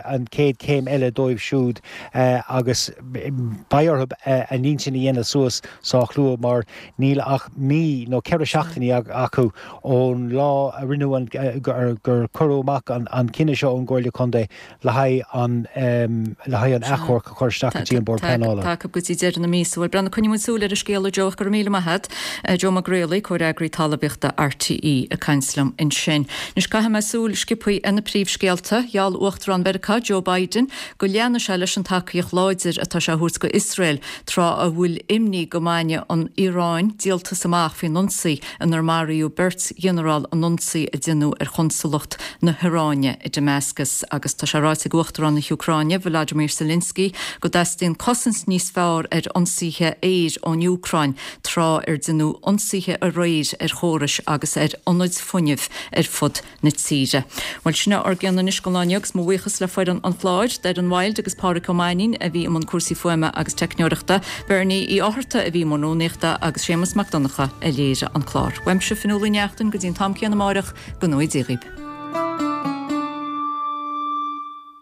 an chéad chéim eile dóibh siúd agus beidh orthu a n-intinn a dhéanamh suas sách luath mar níl ach mí nó 4 seachtainí acu ón lá a rinneadh an gur cuireadh amach an cinneadh seo ón gComhairle Contae le haghaidh an le haghaidh an achomharc a chur isteach go dtí an Bord Pleanála. Tá acu go dtí deireadh na míosa. Bhuel, Breandán, coinneoidh muid súil ar an scéal, a Joe, ach go raibh míle maith agat. Joe Mac Réalaí, Comhfhreagraí Talmhaíochta RTÉ ag caint liom ansin. Anois caithfidh mé súil sciobthaí ar na príomhscéalta. Gheall Uachtarán Mheiriceá Joe Biden go leanfaidh sé leis an tacaíocht láidir atá sé a thabhairt go Iosrael tráth a bhfuil imní go mbainfidh an Iaráin díoltas amach faoin ionsaí inar maraíodh beirt ghinearál an ionsaí a déanadh ar chonsalacht na hIaráine i Damascus. Agus tá sé ráite ag Uachtarán na hÚcráine Volodymyr Zelensky go dteastaíonn cosaint níos fearr ar ionsaithe aeir ón Úcráin tráth ar déanadh ionsaithe aréir ar chórais agus ar ionaid fuinnimh ar fud na tíre. Bhuel, sin é ár gcion anois don lá inniu agus mo bhuíochas le foireann an chláir, Doireann Wilde agus Pádraic Ó Mainnín a bhí i mbun cúrsaí fuaime agus teicneoireachta, Bernie Uí Fhátharta a bhí i mbun rúnaíochta agus Séamus Mac Donncha a léirigh an clár. Uaimse, Fionnuala Ní Neachtain, go dtí an t-am céanna amáireach, go ngnóthaí Dia dhaoib.